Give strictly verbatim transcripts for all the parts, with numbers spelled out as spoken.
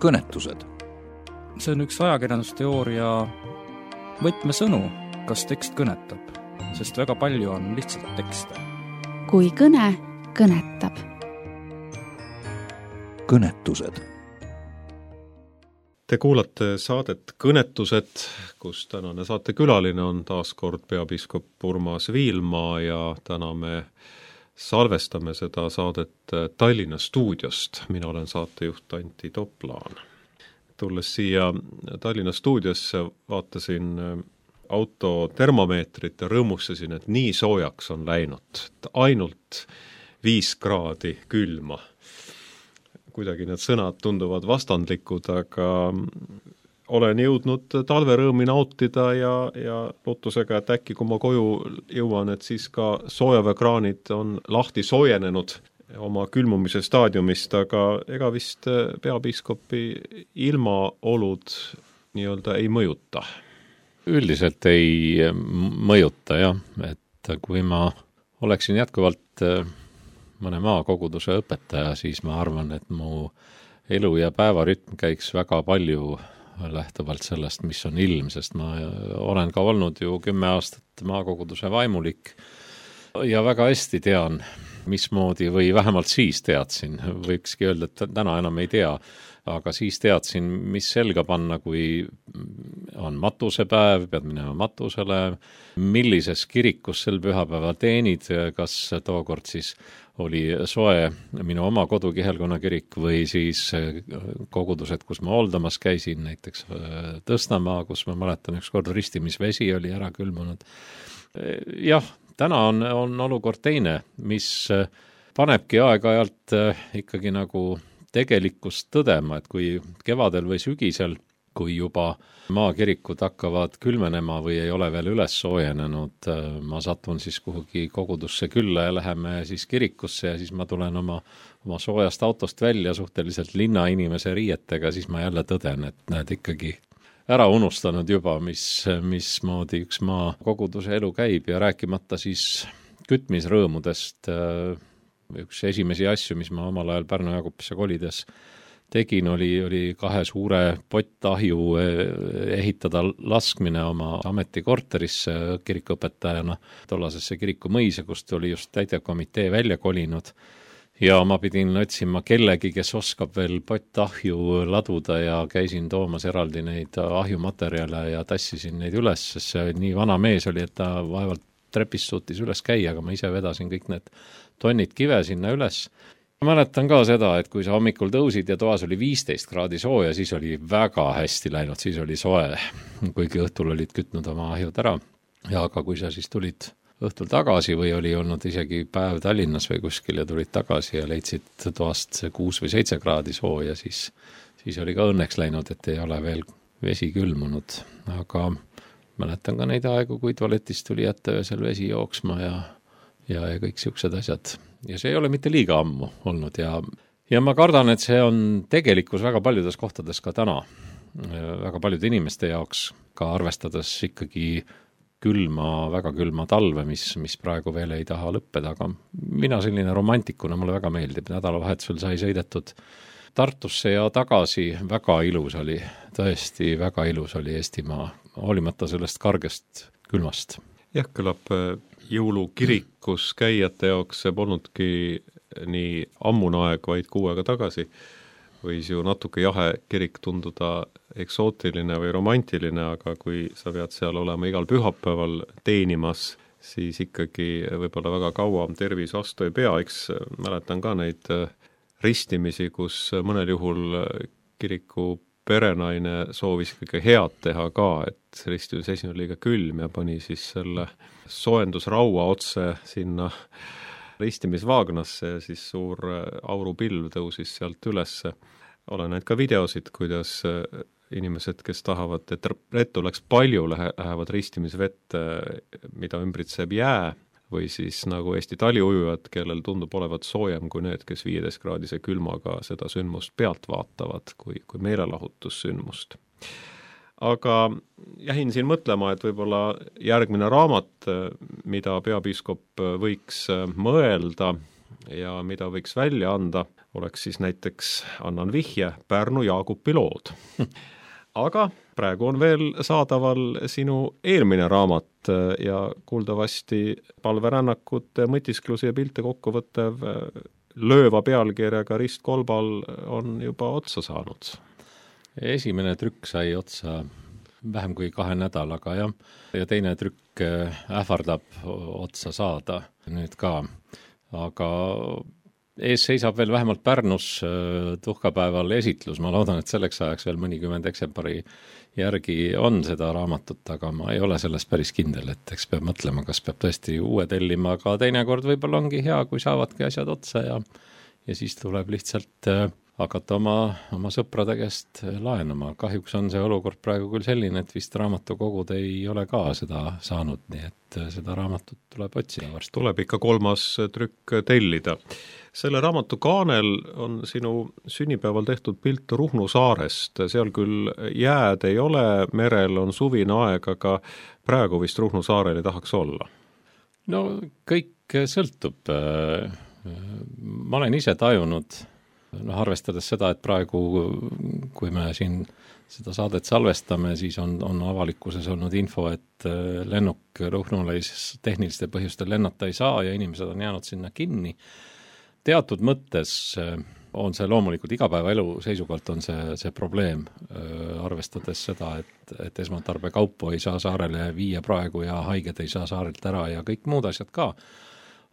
kõnetused. See on üks ajakirjandusteooria võtmesõnu, kas tekst kõnetab, sest väga palju on lihtsalt tekste. Kui kõne kõnetab. Kõnetused. Te kuulate saadet Kõnetused, kus tänane saatekülaline on taas kord peapiiskop Urmas Viilma ja täna me salvestame seda saadet Tallinna stuudiost. Mina olen saatejuht Antti Toplaan. Tulles siia Tallinna stuudiosse vaatasin auto termomeetrit ja rõõmustasin, et nii soojaks on läinud. Ainult viis kraadi külma. Kuidagi need sõnad tunduvad vastandlikud, aga olen jõudnud talverõõmi nautida ja, ja lootusega, et äkki kui ma koju jõuan, et siis ka soojaveekraanid on lahti soojenenud oma külmumise staadiumist, aga ega vist peapiiskopi ilmaolud nii-öelda ei mõjuta. Üldiselt ei mõjuta, jah, et kui ma oleksin jätkuvalt mõne maakoguduse õpetaja, siis ma arvan, et mu elu ja päevarütm käiks väga palju lähtuvalt sellest, mis on ilm, sest ma olen ka olnud ju kümme aastat maakoguduse vaimulik ja väga hästi tean, mismoodi või vähemalt siis teadsin, võikski öelda, et täna enam ei tea, aga siis teadsin, mis selga panna, kui on matusepäev, pead minema matusele, millises kirikus sel pühapäeval teenid, kas tookord siis oli soe minu oma kodu Kihelkonna kirik või siis kogudused, kus ma hooldamas käisin, näiteks Tõstamaa, kus ma mäletan ükskord ristimisvesi oli ära külmunud. Jah, täna on, on olukord teine, mis panebki aeg-ajalt ikkagi nagu tegelikkust tõdema, et kui kevadel või sügisel, kui juba maakirikud hakkavad külmenema või ei ole veel üles soojenenud, ma satun siis kuhugi kogudusse külla ja läheme siis kirikusse ja siis ma tulen oma, oma soojast autost välja suhteliselt linnainimese riietega, siis ma jälle tõden, et näed ikkagi ära unustanud juba, mis, mismoodi üks maa koguduse elu käib ja rääkimata siis kütmisrõõmudest. Üks esimesi asju, mis ma omal ajal Pärnu Jaagupisse kolides tegin, oli, oli kahe suure pottahju ehitada laskmine oma ametikorterisse kirikuõpetajana tollasesse kirikumõise, kust oli just täitevkomitee välja kolinud. Ja ma pidin otsima kellegi, kes oskab veel pottahju laduda ja käisin toomas eraldi neid ahjumaterjale ja tassisin neid üles, sest see nii vana mees oli, et ta vaevalt trepist suutis üles käia, aga ma ise vedasin kõik need tonnid kive sinna üles. Ma mäletan ka seda, et kui sa hommikul tõusid ja toas oli viisteist kraadi sooja, siis oli väga hästi läinud, siis oli soe, kuigi õhtul olid kütnud oma ahjud ära. Ja aga kui sa siis tulid õhtul tagasi või oli olnud isegi päev Tallinnas või kuskil ja tulid tagasi ja leidsid toast kuus või seitse kraadi sooja, siis, siis oli ka õnneks läinud, et ei ole veel vesi külmunud. Aga mäletan ka neid aegu, kui tualetist tuli jätta öösel vesi jooksma ja, ja, ja kõik siuksed asjad. Ja see ei ole mitte liiga ammu olnud ja, ja ma kardan, et see on tegelikkus väga paljudes kohtades ka täna. Väga paljude inimeste jaoks ka arvestades ikkagi külma, väga külma talve, mis, mis praegu veel ei taha lõppeda, aga mina selline romantikuna mulle väga meeldib. Nädalavahetusel sai sõidetud Tartusse ja tagasi, väga ilus oli, tõesti väga ilus oli Eestimaa, hoolimata sellest kargest külmast. Jah, kõlab jõulukirikus käijate jaoks see polnudki nii ammune aeg, vaid kuu aega tagasi. Võis ju natuke jahe kirik tunduda eksootiline või romantiline, aga kui sa pead seal olema igal pühapäeval teenimas, siis ikkagi võib-olla väga kaua tervis vastu ei pea. Eks mäletan ka neid ristimisi, kus mõnel juhul kiriku perenaine soovis ikkagi head teha ka, et ristimise esi oli liiga külm ja pani siis selle soojendusraua otse sinna ristimisvaagnasse ja siis suur aurupilv tõusis sealt ülesse. Olen näinud ka videosid, kuidas inimesed, kes tahavad, et rettu läks palju, lähevad ristimisvette, mida ümbritseb jää, või siis nagu Eesti taliujujad, kellel tundub olevat soojem kui need, kes viieteist kraadise külmaga seda sündmust pealt vaatavad kui, kui meelelahutussündmust. Aga jäin siin mõtlema, et võib-olla järgmine raamat, mida peapiiskop võiks mõelda ja mida võiks välja anda, oleks siis näiteks, annan vihje, Pärnu Jaagupi lood. Aga praegu on veel saadaval sinu eelmine raamat ja kuuldavasti palverännakute, mõtisklusi ja pilte kokkuvõttev lööva pealkirjaga Ristkolbal on juba otsa saanud. Esimene trükk sai otsa vähem kui kahe nädalaga ja, ja teine trükk ähvardab otsa saada nüüd ka, aga ees seisab veel vähemalt Pärnus tuhkapäeval esitlus, ma loodan, et selleks ajaks veel mõnikümmend eksemplari järgi on seda raamatut, aga ma ei ole sellest päris kindel, et eks peab mõtlema, kas peab tõesti uue tellima, aga teinekord võib-olla ongi hea, kui saavadki asjad otsa ja, ja siis tuleb lihtsalt hakata oma, oma sõprade käest laenama. Kahjuks on see olukord praegu küll selline, et vist raamatukogud ei ole ka seda saanud, nii et seda raamatut tuleb otsida varsti. Tuleb ikka kolmas trükk tellida. Selle raamatu kaanel on sinu sünnipäeval tehtud pilt Ruhnu saarest, seal küll jääd ei ole, merel on suvine aeg, aga praegu vist Ruhnu saarel ei tahaks olla. No kõik sõltub. Ma olen ise tajunud, noh, arvestades seda, et praegu, kui me siin seda saadet salvestame, siis on, on avalikkuses olnud info, et lennuk Ruhnule tehniliste põhjustel lennata ei saa ja inimesed on jäänud sinna kinni. Teatud mõttes on see loomulikult igapäevaelu seisukohalt on see, see probleem, arvestades seda, et, et esmatarbekaupu ei saa saarele viia praegu ja haiged ei saa saarelt ära ja kõik muud asjad ka.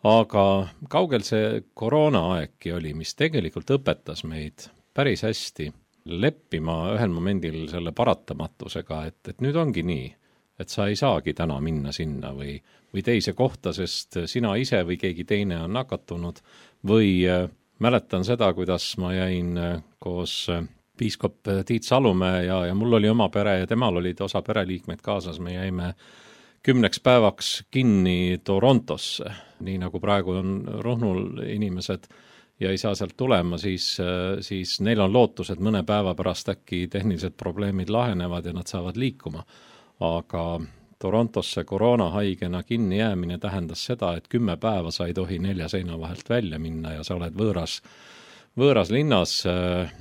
Aga kaugel see koroonaaegki oli, mis tegelikult õpetas meid päris hästi leppima ühel momendil selle paratamatusega, et, et nüüd ongi nii, et sa ei saagi täna minna sinna või, või teise kohta, sest sina ise või keegi teine on nakatunud või äh, mäletan seda, kuidas ma jäin äh, koos äh, piiskop Tiit Salumäe ja, ja mul oli oma pere ja temal olid osa pereliikmeid kaasas, me jäime kümneks päevaks kinni Torontosse, nii nagu praegu on Ruhnul inimesed ja ei saa sealt tulema, siis, siis neil on lootus, et mõne päeva pärast äkki tehnilised probleemid lahenevad ja nad saavad liikuma. Aga Torontosse koroonahaigena kinni jäämine tähendas seda, et kümme päeva sa ei tohi nelja seina vahelt välja minna ja sa oled võõras, võõras linnas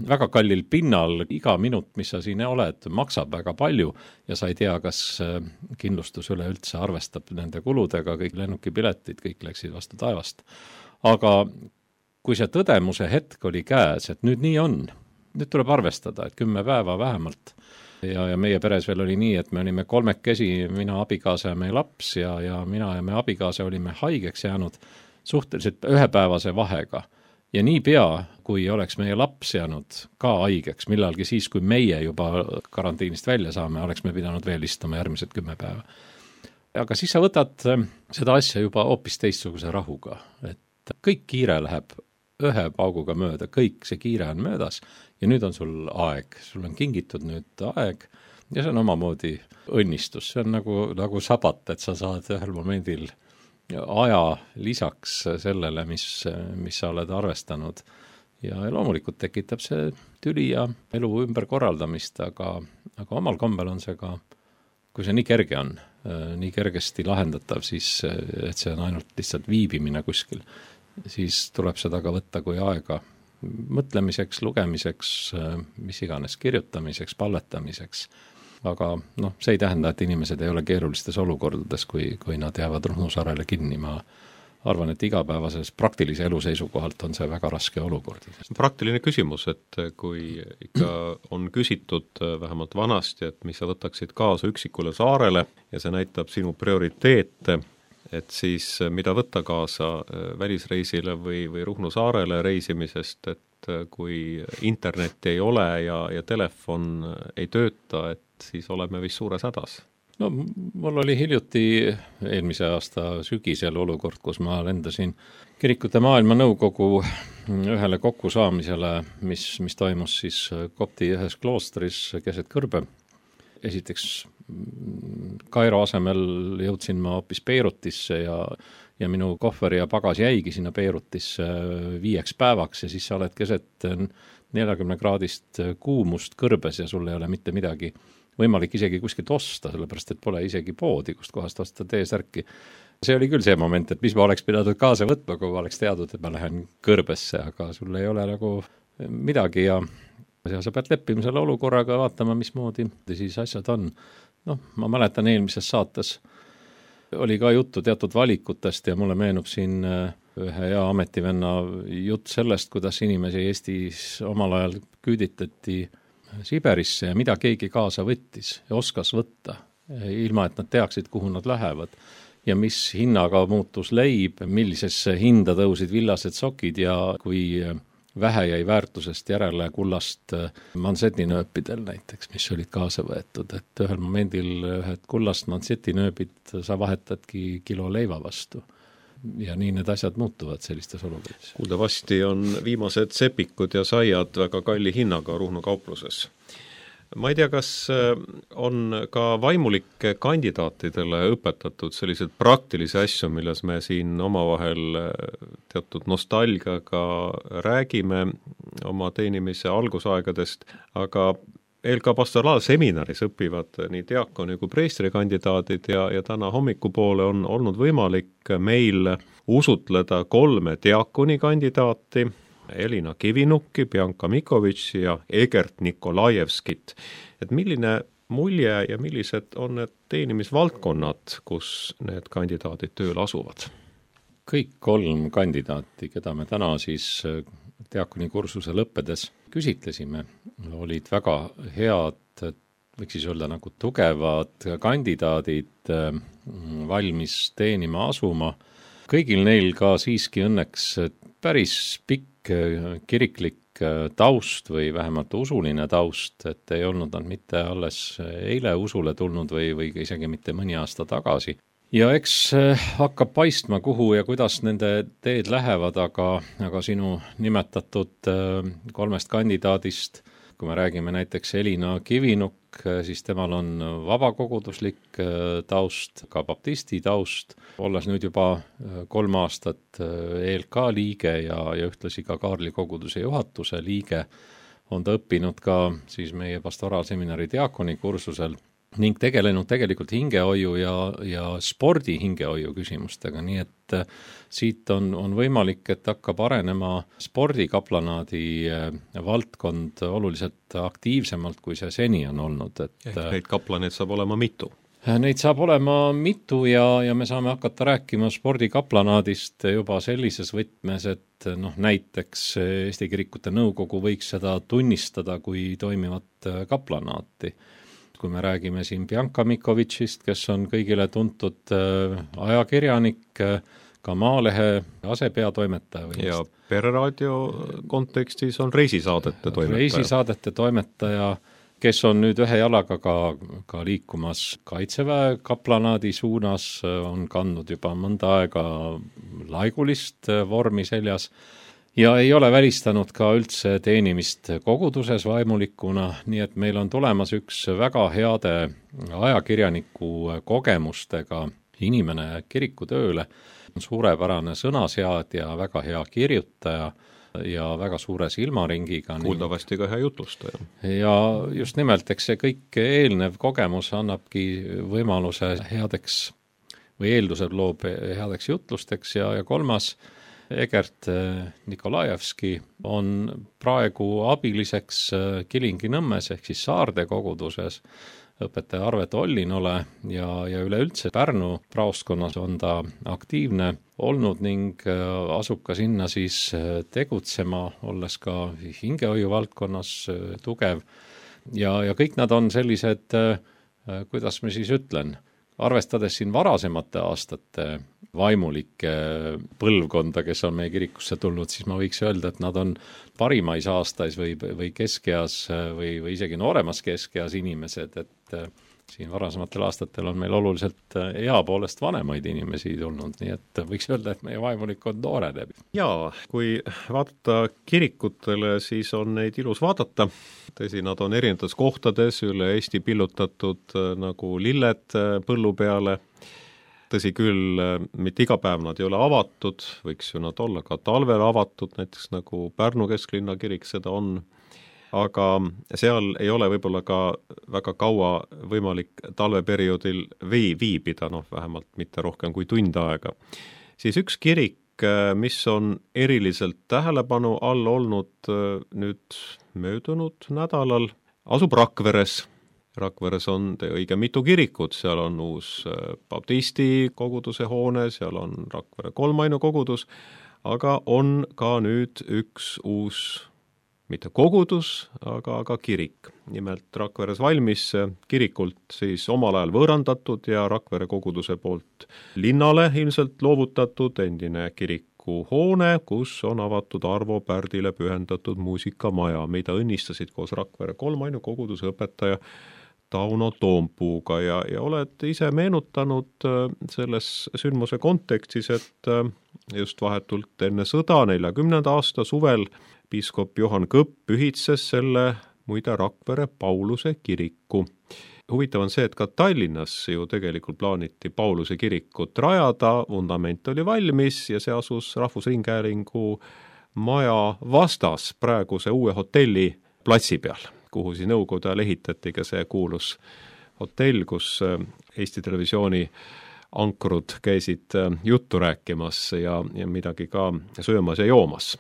väga kallil pinnal. Iga minut, mis sa siin oled, maksab väga palju ja sa ei tea, kas kindlustus üleüldse arvestab nende kuludega, kõik lennukipiletid, kõik läksid vastu taevast. Aga kui see tõdemuse hetk oli käes, et nüüd nii on, nüüd tuleb arvestada, et kümme päeva vähemalt ja, ja meie peres veel oli nii, et me olime kolmekesi, mina, abikaasa ja meie laps ja, ja mina ja meie abikaasa olime haigeks jäänud suhteliselt ühepäevase vahega. Ja nii pea, kui oleks meie laps jäänud ka haigeks, millalgi siis, kui meie juba karantiinist välja saame, oleks me pidanud veel istuma järgmised kümme päeva. Aga siis sa võtad seda asja juba hoopis teistsuguse rahuga, et kõik kiire läheb ühe pauguga mööda, kõik see kiire on möödas ja nüüd on sul aeg, sul on kingitud nüüd aeg ja see on omamoodi õnnistus, see on nagu, nagu sabat, et sa saad ühel momendil aja lisaks sellele, mis, mis sa oled arvestanud ja loomulikult tekitab see tüli ja elu ümberkorraldamist, aga, aga omal kombel on see ka, kui see nii kerge on, nii kergesti lahendatav, siis et see on ainult lihtsalt viibimine kuskil, siis tuleb seda ka võtta kui aega mõtlemiseks, lugemiseks, mis iganes, kirjutamiseks, palvetamiseks. Aga noh, see ei tähenda, et inimesed ei ole keerulistes olukordades, kui, kui nad jäävad Ruhnu saarele kinni. Ma arvan, et igapäevases praktilise elu seisukohalt on see väga raske olukord. Praktiline küsimus, et kui ikka on küsitud vähemalt vanasti, et mis sa võtaksid kaasa üksikule saarele ja see näitab sinu prioriteete, et siis mida võtta kaasa välisreisile või, või Ruhnu saarele reisimisest, et kui internetti ei ole ja, ja telefon ei tööta, et siis oleme vist suures hädas. No mul oli hiljuti eelmise aasta sügisel olukord, kus ma lendasin Kirikute Maailma Nõukogu ühele kokkusaamisele, mis, mis toimus siis kopti ühes kloostris keset kõrbe. Esiteks Kairo asemel jõudsin ma hoopis Beirutisse ja, ja minu kohver ja pagas jäigi sinna Beirutisse viieks päevaks ja siis sa oled keset neljakümne kraadist kuumust kõrbes ja sul ei ole mitte midagi võimalik isegi kuskilt osta, sellepärast et pole isegi poodi, kust kohast osta T-särki. See oli küll see moment, et mis ma oleks pidanud kaasa võtma, kui ma oleks teadnud, et ma lähen kõrbesse, aga sul ei ole nagu midagi ja, ja sa pead leppima selle olukorraga ja vaatama, mismoodi siis asjad on. Noh, ma mäletan eelmises saates oli ka juttu teatud valikutest ja mulle meenub siin ühe hea ametivenna jutt sellest, kuidas inimesi Eestis omal ajal küüditati Siberisse ja mida keegi kaasa võttis ja oskas võtta, ilma et nad teaksid, kuhu nad lähevad. Ja mis hinnaga muutus leib, millisesse hinda tõusid villased sokid ja kui vähe jäi väärtusest järele kullast mansetinööpidel näiteks, mis olid kaasa võetud. Et ühel momendil ühed kullast mansetinööbid sa vahetadki kilo leiva vastu. Ja nii need asjad muutuvad sellistes olukordades. Kuuldavasti on viimased sepikud ja saiad väga kalli hinnaga Ruhnu kaupluses. Ma ei tea, kas on ka vaimulike kandidaatidele õpetatud sellised praktilisi asju, milles me siin omavahel teatud nostalgiaga räägime oma teenimise algusaegadest, aga E L K pastoraalseminaris õpivad nii diakoni kui preestri kandidaadid ja, ja täna hommikupoole on olnud võimalik meil usutleda kolme diakoni kandidaati, Elina Kivinukki, Bianca Mikovitši ja Egert Nikolajevskit. Et milline mulje ja millised on need teenimisvaldkonnad, kus need kandidaadid tööl asuvad? Kõik kolm kandidaati, keda me täna siis diakoni kursuse lõppedes küsitlesime, olid väga head, võiks siis öelda nagu tugevad kandidaadid valmis teenima asuma. Kõigil neil ka siiski õnneks päris pikk kiriklik taust või vähemalt usuline taust, et ei olnud nad mitte alles eile usule tulnud või, või isegi mitte mõni aasta tagasi. Ja eks hakkab paistma, kuhu ja kuidas nende teed lähevad, aga, aga sinu nimetatud kolmest kandidaadist, kui me räägime näiteks Elina Kivinuk, siis temal on vabakoguduslik taust, ka baptisti taust, olles nüüd juba kolm aastat E L K liige ja, ja ühtlasi ka Kaarli koguduse juhatuse liige, on ta õppinud ka siis meie pastoraalseminari diakoni kursusel ning tegelenud tegelikult hingehoiu ja, ja spordi hingehoiu küsimustega, nii et siit on, on võimalik, et hakkab arenema spordikaplanaadi valdkond oluliselt aktiivsemalt, kui see seni on olnud. Et ehk neid kaplaneid saab olema mitu? Neid saab olema mitu ja, ja me saame hakata rääkima spordikaplanaadist juba sellises võtmes, et noh, näiteks Eesti Kirikute Nõukogu võiks seda tunnistada kui toimivat kaplanaati. Kui me räägime siin Bianca Mikovitšist, kes on kõigile tuntud ajakirjanik, ka Maalehe asepeatoimetaja. Ja Pereraadio kontekstis on reisisaadete toimetaja. Reisisaadete toimetaja, kes on nüüd ühe jalaga ka, ka liikumas Kaitseväe kaplanaadi suunas, on kandnud juba mõnda aega laigulist vormi seljas. Ja ei ole välistanud ka üldse teenimist koguduses vaimulikuna, nii et meil on tulemas üks väga heade ajakirjaniku kogemustega inimene kirikutööle, suurepärane sõnaseadja, väga hea kirjutaja ja väga suure silmaringiga. Kuuldavasti ka hea jutlustaja. Ja just nimelt, eks see kõik eelnev kogemus annabki võimaluse headeks või eeldused loob headeks jutlusteks ja, ja kolmas Egert Nikolajevski on praegu abiliseks Kilingi-Nõmmes ehk siis Saarde koguduses õpetaja Arve Tollinole ja, ja üleüldse Pärnu praoskonnas on ta aktiivne olnud ning asub ka sinna siis tegutsema, olles ka hingehoiu valdkonnas tugev ja, ja kõik nad on sellised, kuidas ma siis ütlen, arvestades siin varasemate aastate vaimulike põlvkonda, kes on meie kirikusse tulnud, siis ma võiks öelda, et nad on parimais aastais või, või keskeas või, või isegi nooremas keskeas inimesed, et siin varasematel aastatel on meil oluliselt ea poolest vanemaid inimesi tulnud, nii et võiks öelda, et meie vaimulikkond nooreneb. Jaa, kui vaadata kirikutele, siis on neid ilus vaadata. Tõsi, nad on erinevates kohtades üle Eesti pillutatud nagu lilled põllu peale. Tõsi küll, mitte iga päev nad ei ole avatud, võiks ju nad olla ka talvel avatud, näiteks nagu Pärnu kesklinna kirik seda on. aga seal ei ole võib-olla ka väga kaua võimalik talveperioodil vii viibida, noh vähemalt mitte rohkem kui tund aega. Siis üks kirik, mis on eriliselt tähelepanu all olnud nüüd möödunud nädalal, asub Rakveres. Rakveres on õige mitu kirikut, seal on uus baptisti koguduse hoone, seal on Rakvere kolmainu kogudus, aga on ka nüüd üks uus, mitte kogudus, aga, aga kirik. Nimelt Rakveres valmis kirikult siis omal ajal võõrandatud ja Rakvere koguduse poolt linnale ilmselt loovutatud endine kirikuhoone, kus on avatud Arvo Pärdile pühendatud muusikamaja, mida õnnistasid koos Rakvere kolmainu koguduse õpetaja Tauno Toompuuga ja, ja oled ise meenutanud selles sündmuse kontekstis, et just vahetult enne sõda neljakümnenda aasta suvel piiskop Johan Kõpp pühitses selle muide Rakvere Pauluse kiriku. Huvitav on see, et ka Tallinnas ju tegelikult plaaniti Pauluse kirikut rajada, vundament oli valmis ja see asus Rahvusringhäälingu maja vastas praeguse uue hotelli platsi peal, kuhu siis nõukogude ajal ehitati ka see kuulus hotell, kus Eesti Televisiooni ankrud käisid juttu rääkimas ja, ja midagi ka söömas ja joomas.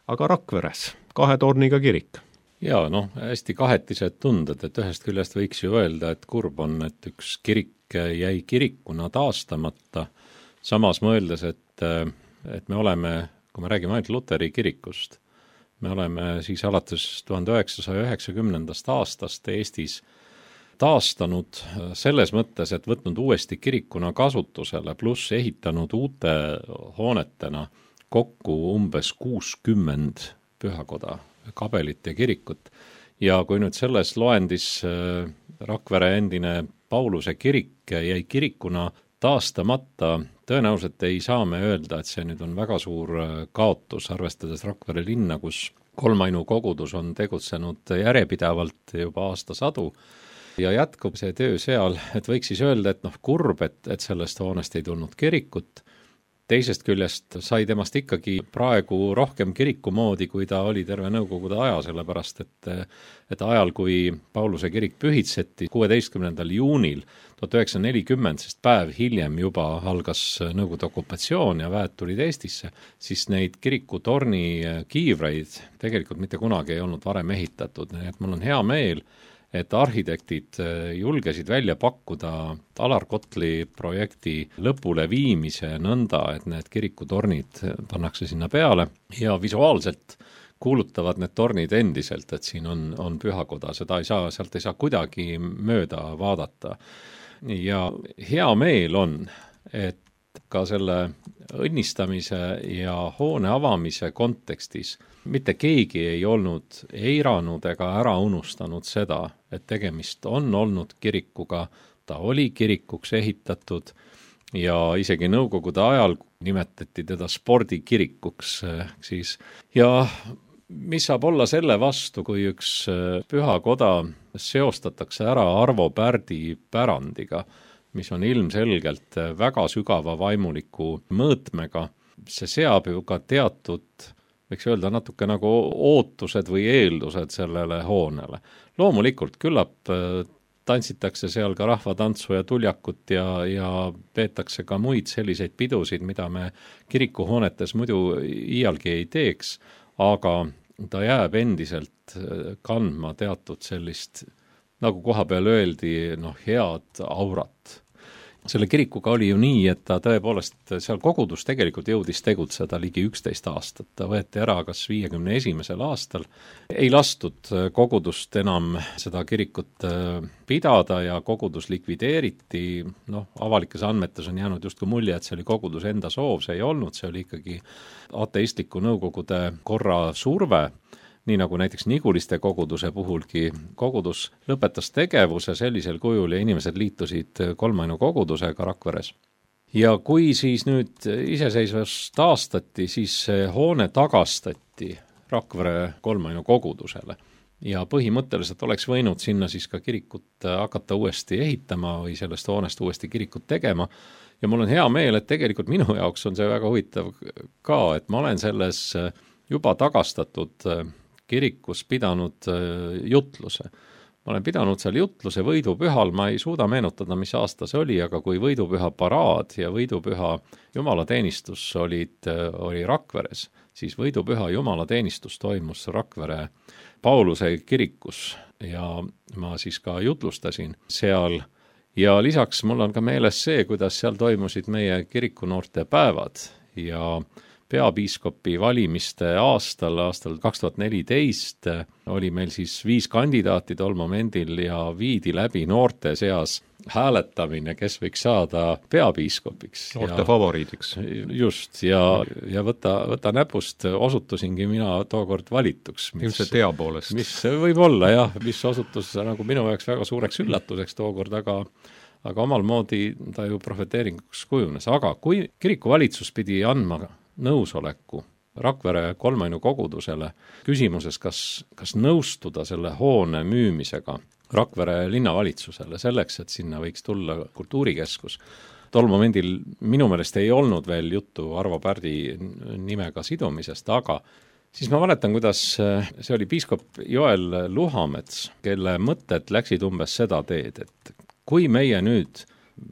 Aga Rakveres, kahe torniga kirik. Jaa, noh, hästi kahetised tunded, et ühest küljest võiks ju öelda, et kurb on, et üks kirik jäi kirikuna taastamata, samas mõeldes, et, et me oleme, kui me räägime ainult Luteri kirikust, me oleme siis alates tuhande üheksasaja üheksakümnendast aastast Eestis taastanud selles mõttes, et võtnud uuesti kirikuna kasutusele, pluss ehitanud uute hoonetena kokku umbes kuuskümmend pühakoda, kabelit ja kirikut. Ja kui nüüd selles loendis Rakvere endine Pauluse kirik jäi kirikuna taastamata, tõenäoliselt ei saa me öelda, et see nüüd on väga suur kaotus, arvestades Rakvere linna, kus kolmainu kogudus on tegutsenud järjepidevalt juba aastasadu ja jätkub see töö seal, et võiks siis öelda, et noh, kurb, et, et sellest hoonest ei tulnud kirikut. Teisest küljest sai temast ikkagi praegu rohkem kiriku moodi, kui ta oli terve nõukogude aja, sellepärast et, et ajal, kui Pauluse kirik pühitseti kuueteistkümnendal juunil tuhat üheksasada nelikümmend, sest päev hiljem juba algas nõukogude okupatsioon ja väed tulid Eestisse, siis neid kirikutorni kiivreid tegelikult mitte kunagi ei olnud varem ehitatud, nii et mul on hea meel, et arhitektid julgesid välja pakkuda Alar Kotli projekti lõpule viimise nõnda, et need kirikutornid pannakse sinna peale ja visuaalselt kuulutavad need tornid endiselt, et siin on, on pühakoda, seda ei saa, sealt ei saa kuidagi mööda vaadata. Ja hea meel on, et ka selle õnnistamise ja hoone avamise kontekstis mitte keegi ei olnud eiranud ega ära unustanud seda, et tegemist on olnud kirikuga, ta oli kirikuks ehitatud ja isegi nõukogude ajal nimetati teda spordikirikuks siis. Ja mis saab olla selle vastu, kui üks pühakoda seostatakse ära Arvo Pärdi pärandiga, mis on ilmselgelt väga sügava vaimuliku mõõtmega, see seab ju ka teatud, võiks öelda natuke nagu ootused või eeldused sellele hoonele. Loomulikult küllap tantsitakse seal ka rahvatantsu ja tuljakut ja, ja peetakse ka muid selliseid pidusid, mida me kirikuhoonetes muidu iialgi ei teeks, aga ta jääb endiselt kandma teatud sellist, nagu koha peal öeldi, noh, head aurat. Selle kirikuga oli ju nii, et ta tõepoolest seal kogudus tegelikult jõudis tegutseda ligi üksteist aastat. Ta võeti ära kas viiekümne esimesel aastal. Ei lastud kogudust enam seda kirikut pidada ja kogudus likvideeriti. Noh, avalikes andmetes on jäänud justkui mulje, et see oli kogudus enda soov, see ei olnud, see oli ikkagi ateistliku nõukogude korra surve. Nii nagu näiteks Niguliste koguduse puhulgi, kogudus lõpetas tegevuse sellisel kujul ja inimesed liitusid kolmainu kogudusega Rakveres. Ja kui siis nüüd iseseisvus taastati, siis see hoone tagastati Rakvere kolmainu kogudusele. Ja põhimõtteliselt oleks võinud sinna siis ka kirikut hakata uuesti ehitama või sellest hoonest uuesti kirikut tegema. Ja mul on hea meel, et tegelikult minu jaoks on see väga huvitav ka, et ma olen selles juba tagastatud kirikus pidanud jutluse. Ma olen pidanud seal jutluse võidupühal, ma ei suuda meenutada, mis aasta see oli, aga kui võidupüha paraad ja võidupüha jumalateenistus olid, oli Rakveres, siis võidupüha jumalateenistus toimus Rakvere Pauluse kirikus ja ma siis ka jutlustasin seal. Ja lisaks mul on ka meeles see, kuidas seal toimusid meie kirikunoorte päevad ja peapiiskopi valimiste aastal, aastal kaks tuhat neliteist oli meil siis viis kandidaati tol momendil ja viidi läbi noorte seas hääletamine, kes võiks saada peapiiskopiks. Noorte favoriidiks. Just, ja, ja võta, võta näpust osutusingi mina tookord valituks. Ilmselt tea poolest. Mis võib olla, jah, mis osutus nagu minu jaoks väga suureks üllatuseks tookord, aga aga omal moodi ta ju profeteeringuks kujunes. Aga kui kirikuvalitsus pidi andma nõusoleku Rakvere kolmainu kogudusele küsimuses, kas, kas nõustuda selle hoone müümisega Rakvere linnavalitsusele selleks, et sinna võiks tulla kultuurikeskus. Tol momendil minu meelest ei olnud veel juttu Arvo Pärdi nimega sidumisest, aga siis ma mäletan, kuidas see oli piiskop Joel Luhamets, kelle mõtted läksid umbes seda teed, et kui meie nüüd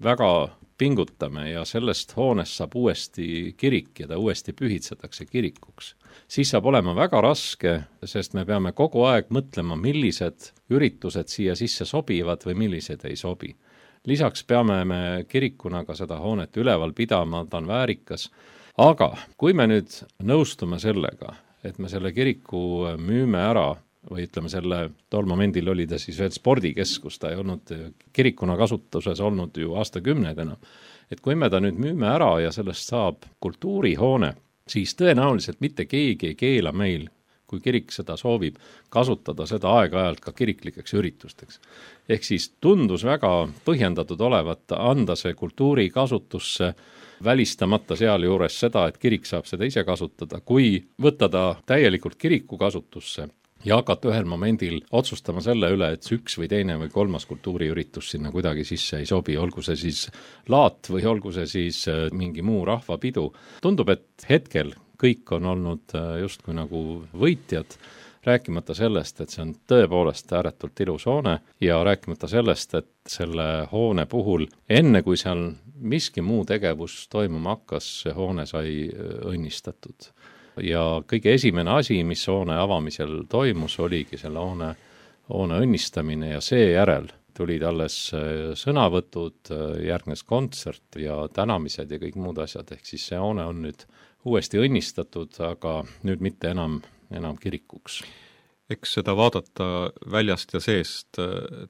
väga pingutame ja sellest hoonest saab uuesti kirik ja ta uuesti pühitsetakse kirikuks, siis saab olema väga raske, sest me peame kogu aeg mõtlema, millised üritused siia sisse sobivad või millised ei sobi. Lisaks peame me kirikuna ka seda hoonet üleval pidama, ta on väärikas, aga kui me nüüd nõustume sellega, et me selle kiriku müüme ära, või ütleme selle, tol momendil oli ta siis veel spordikeskus, ta ei olnud kirikuna kasutuses olnud ju aastakümned enam. Et kui me ta nüüd müüme ära ja sellest saab kultuurihoone, siis tõenäoliselt mitte keegi ei keela meil, kui kirik seda soovib, kasutada seda aeg-ajalt ka kiriklikeks üritusteks. Ehk siis tundus väga põhjendatud olevat anda see kultuuri kasutusse, välistamata seal juures seda, et kirik saab seda ise kasutada, kui võtta ta täielikult kiriku kasutusse, ja hakata ühel momendil otsustama selle üle, et üks või teine või kolmas kultuuriüritus sinna kuidagi sisse ei sobi, olgu see siis laat või olgu see siis mingi muu rahvapidu. Tundub, et hetkel kõik on olnud justkui nagu võitjad, rääkimata sellest, et see on tõepoolest ääretult ilus hoone ja rääkimata sellest, et selle hoone puhul, enne kui seal miski muu tegevus toimuma hakkas, see hoone sai õnnistatud. Ja kõige esimene asi, mis hoone avamisel toimus, oligi selle hoone, hoone õnnistamine ja seejärel tulid alles sõnavõtud, järgnes kontsert ja tänamised ja kõik muud asjad, ehk siis see hoone on nüüd uuesti õnnistatud, aga nüüd mitte enam, enam kirikuks. Eks seda vaadata väljast ja seest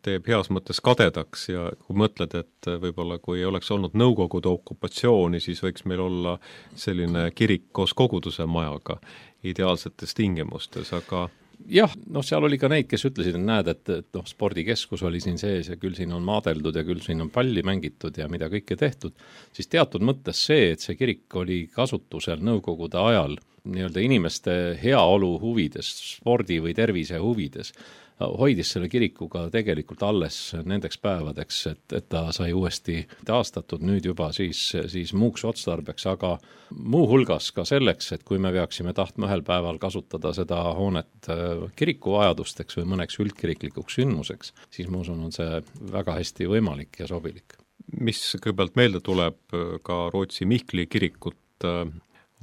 teeb heas mõttes kadedaks ja kui mõtled, et võib-olla kui oleks olnud Nõukogude okupatsiooni, siis võiks meil olla selline kirik koos koguduse majaga ideaalsetes tingimustes, aga jah, noh, seal oli ka neid, kes ütlesid, et näed, et, et noh, spordikeskus oli siin sees ja küll siin on maadeldud ja küll siin on palli mängitud ja mida kõike tehtud, siis teatud mõttes see, et see kirik oli kasutusel Nõukogude ajal nii-öelda inimeste heaolu huvides, spordi või tervise huvides, hoidis selle kirikuga tegelikult alles nendeks päevadeks, et, et ta sai uuesti taastatud nüüd juba siis, siis muuks otstarbeks, aga muu hulgas ka selleks, et kui me peaksime tahtma ühel päeval kasutada seda hoonet kiriku vajadusteks või mõneks üldkiriklikuks sündmuseks, siis ma usun, on see väga hästi võimalik ja sobilik. Mis kõigepealt meelde tuleb ka Rootsi Mihkli kirikut,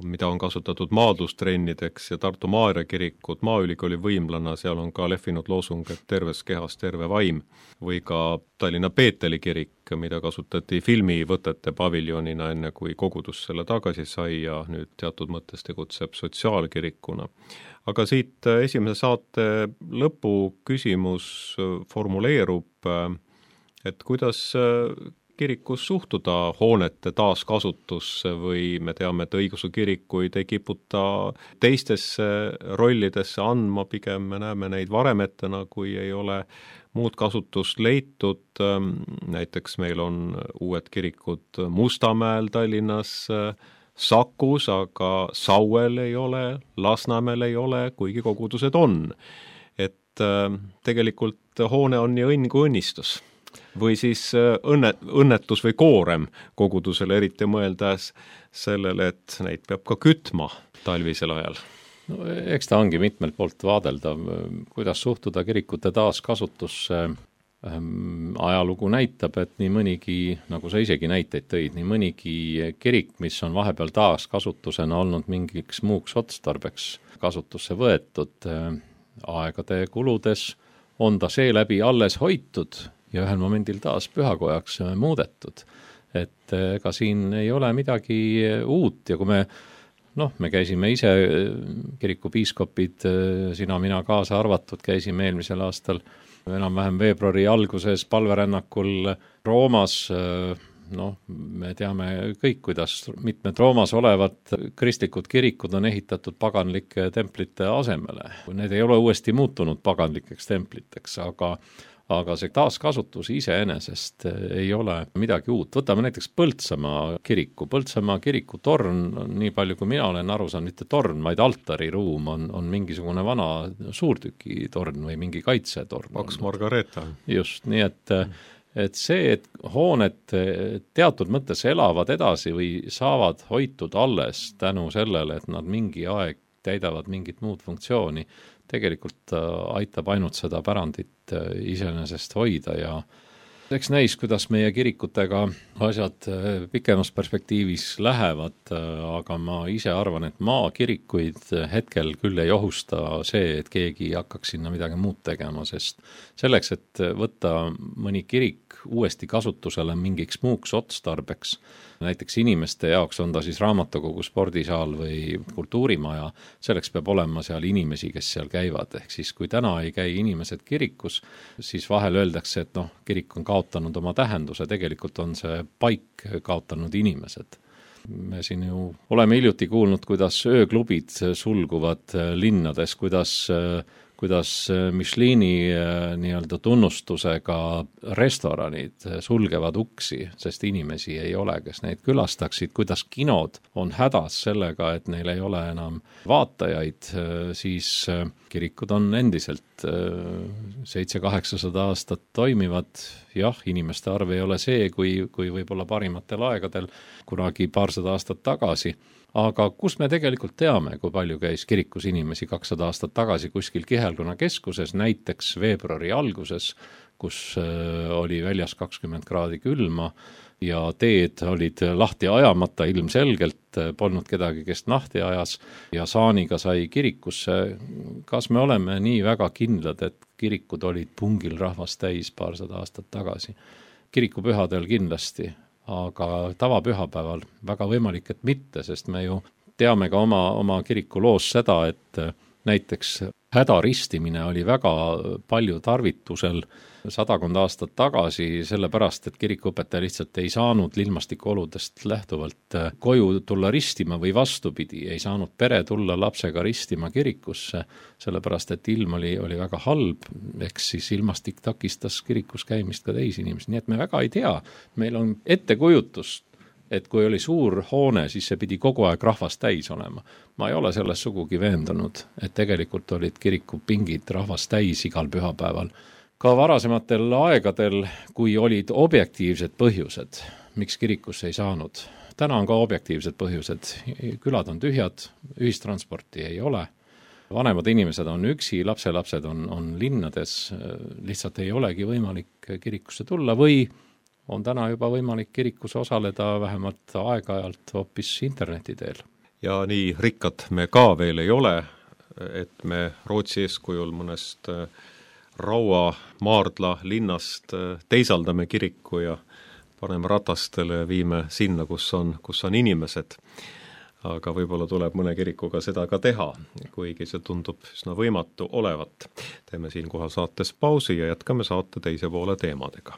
mida on kasutatud maadlustrennideks ja Tartu Maarja kirikut, Maaülikooli võimlana, seal on ka lehvinud loosung, et terves kehas terve vaim, või ka Tallinna Peeteli kirik, mida kasutati filmivõtete paviljonina, enne kui kogudus selle tagasi sai ja nüüd teatud mõttes tegutseb sotsiaalkirikuna. Aga siit esimese saate lõpu küsimus formuleerub, et kuidas kirikus suhtuda hoonete taaskasutusse või me teame, et õigeusu kirikuid ei kiputa teistesse rollidesse andma, pigem me näeme neid varemetena, kui ei ole muud kasutust leitud. Näiteks meil on uued kirikud Mustamäel Tallinnas, Sakus, aga Sauel ei ole, Lasnamäel ei ole, kuigi kogudused on. Et tegelikult hoone on nii õnn kui õnnistus. Või siis õnne, õnnetus või koorem kogudusele, eriti mõeldes sellele, et neid peab ka kütma talvisel ajal. No, eks ta ongi mitmelt poolt vaadeldav, kuidas suhtuda kirikute taaskasutusse. Ajalugu näitab, et nii mõnigi, nagu sa isegi näiteid tõid, nii mõnigi kirik, mis on vahepeal taaskasutusena olnud mingiks muuks otstarbeks kasutusse võetud, aegade kuludes on ta seeläbi alles hoitud ja ühel momendil taas pühakojaks muudetud. Et ega siin ei ole midagi uut ja kui me noh, me käisime ise, kirikupiiskopid, sina, mina kaasa arvatud, käisime eelmisel aastal enam-vähem veebruari alguses palverännakul Roomas, noh, me teame kõik, kuidas mitmed Roomas olevad kristlikud kirikud on ehitatud paganlike templite asemele. Need ei ole uuesti muutunud paganlikeks templiteks, aga aga see taaskasutus iseenesest ei ole midagi uut. Võtame näiteks Põltsamaa kiriku. Põltsamaa kiriku torn, nii palju kui mina olen aru saanud, mitte torn, vaid altariruum on, on mingisugune vana suurtüki torn või mingi kaitsetorn. Paks Margareeta. Just, nii et, et see, et hooned teatud mõttes elavad edasi või saavad hoitud alles tänu sellele, et nad mingi aeg täidavad mingit muud funktsiooni, tegelikult aitab ainult seda pärandit iseenesest hoida ja eks näis, kuidas meie kirikutega asjad pikemas perspektiivis lähevad, aga ma ise arvan, et maakirikuid hetkel küll ei ohusta see, et keegi hakkaks sinna midagi muud tegema, sest selleks, et võtta mõni kirik uuesti kasutusele mingiks muuks otstarbeks, näiteks inimeste jaoks on ta siis raamatukogu, spordisaal või kultuurimaja, selleks peab olema seal inimesi, kes seal käivad. Ehk siis, kui täna ei käi inimesed kirikus, siis vahel öeldakse, et noh, kirik on kaotanud oma tähenduse, tegelikult on see paik kaotanud inimesed. Me siin ju oleme hiljuti kuulnud, kuidas ööklubid sulguvad linnades, kuidas kuidas Michelini nii-öelda tunnustusega restoranid sulgevad uksi, sest inimesi ei ole, kes neid külastaksid, kuidas kinod on hädas sellega, et neil ei ole enam vaatajaid, siis kirikud on endiselt seitse-kaheksasada aastat toimivad. Jah, inimeste arv ei ole see, kui, kui võib-olla parimatel aegadel kunagi paarsada aastat tagasi. Aga kus me tegelikult teame, kui palju käis kirikus inimesi kakssada aastat tagasi kuskil Kihelkonna keskuses, näiteks veebruari alguses, kus oli väljas kakskümmend kraadi külma ja teed olid lahti ajamata ilmselgelt, polnud kedagi, kes lahti ajas ja saaniga sai kirikusse. Kas me oleme nii väga kindlad, et kirikud olid pungil rahvast täis paarsada aastat tagasi? Kirikupühadel kindlasti. Aga tavapühapäeval väga võimalik, et mitte, sest me ju teame ka oma, oma kiriku loos seda, et näiteks hädaristimine oli väga palju tarvitusel sadakond aastat tagasi, sellepärast, et kirikuõpetaja lihtsalt ei saanud ilmastikuoludest lähtuvalt koju tulla ristima või vastupidi, ei saanud pere tulla lapsega ristima kirikusse, sellepärast, et ilm oli, oli väga halb, ehk siis ilmastik takistas kirikus käimist ka teisi inimesi, nii et me väga ei tea. Meil on ettekujutus, et kui oli suur hoone, siis see pidi kogu aeg rahvast täis olema. Ma ei ole selles sugugi veendunud, et tegelikult olid kirikupingid rahvast täis igal pühapäeval. Ka varasematel aegadel, kui olid objektiivsed põhjused, miks kirikusse ei saanud. Täna on ka objektiivsed põhjused. Külad on tühjad, ühistransporti ei ole. Vanemad inimesed on üksi, lapselapsed on, on linnades, lihtsalt ei olegi võimalik kirikusse tulla või on täna juba võimalik kirikus osaleda vähemalt aeg-ajalt hoopis interneti teel. Ja nii rikkad me ka veel ei ole, et me Rootsi eeskujul mõnest Raua Maardla linnast teisaldame kiriku ja paneme ratastele ja viime sinna, kus on, kus on inimesed. Aga võib-olla tuleb mõne kirikuga seda ka teha, kuigi see tundub üsna võimatu olevat. Teeme siin kohal saates pausi ja jätkame saate teise poole teemadega.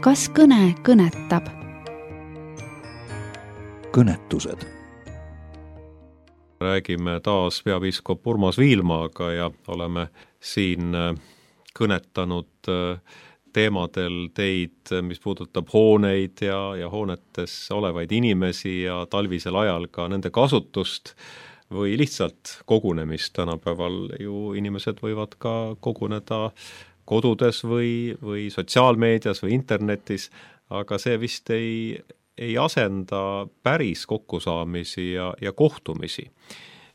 kas kõne kõnetab? Kõnetused. Räägime taas peapiiskop Urmas Viilmaaga ja oleme siin kõnetanud teemadel teid, mis puudutab hooneid ja, ja hoonetes olevaid inimesi ja talvisel ajal ka nende kasutust või lihtsalt kogunemist. Tänapäeval ju inimesed võivad ka koguneda kodudes või, või sotsiaalmeedias või internetis, aga see vist ei, ei asenda päris kokkusaamisi ja, ja kohtumisi.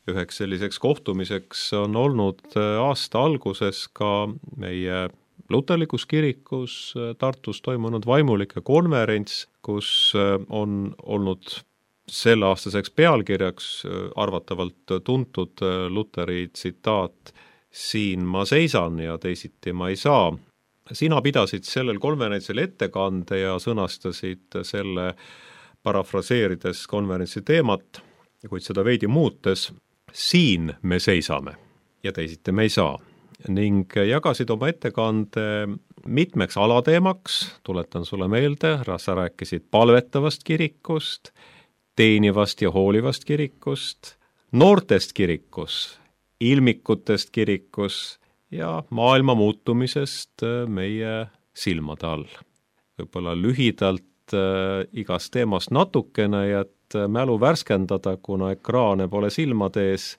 Üheks selliseks kohtumiseks on olnud aasta alguses ka meie luterlikus kirikus Tartus toimunud vaimulike konverents, kus on olnud selleaastaseks pealkirjaks arvatavalt tuntud Luteri tsitaat "Siin ma seisan ja teisiti ma ei saa". Sina pidasid sellel konverentsil ettekande ja sõnastasid selle parafraseerides konverentsi teemat, kuid seda veidi muutes: siin me seisame ja teisiti me ei saa. Ning jagasid oma ettekande mitmeks alateemaks, tuletan sulle meelde, sa rääkisid palvetavast kirikust, teenivast ja hoolivast kirikust, noortest kirikus, ilmikutest kirikus ja maailma muutumisest meie silmade all. Võib-olla lühidalt äh, igast teemast natukene, et mälu värskendada, kuna ekraane pole silmade ees,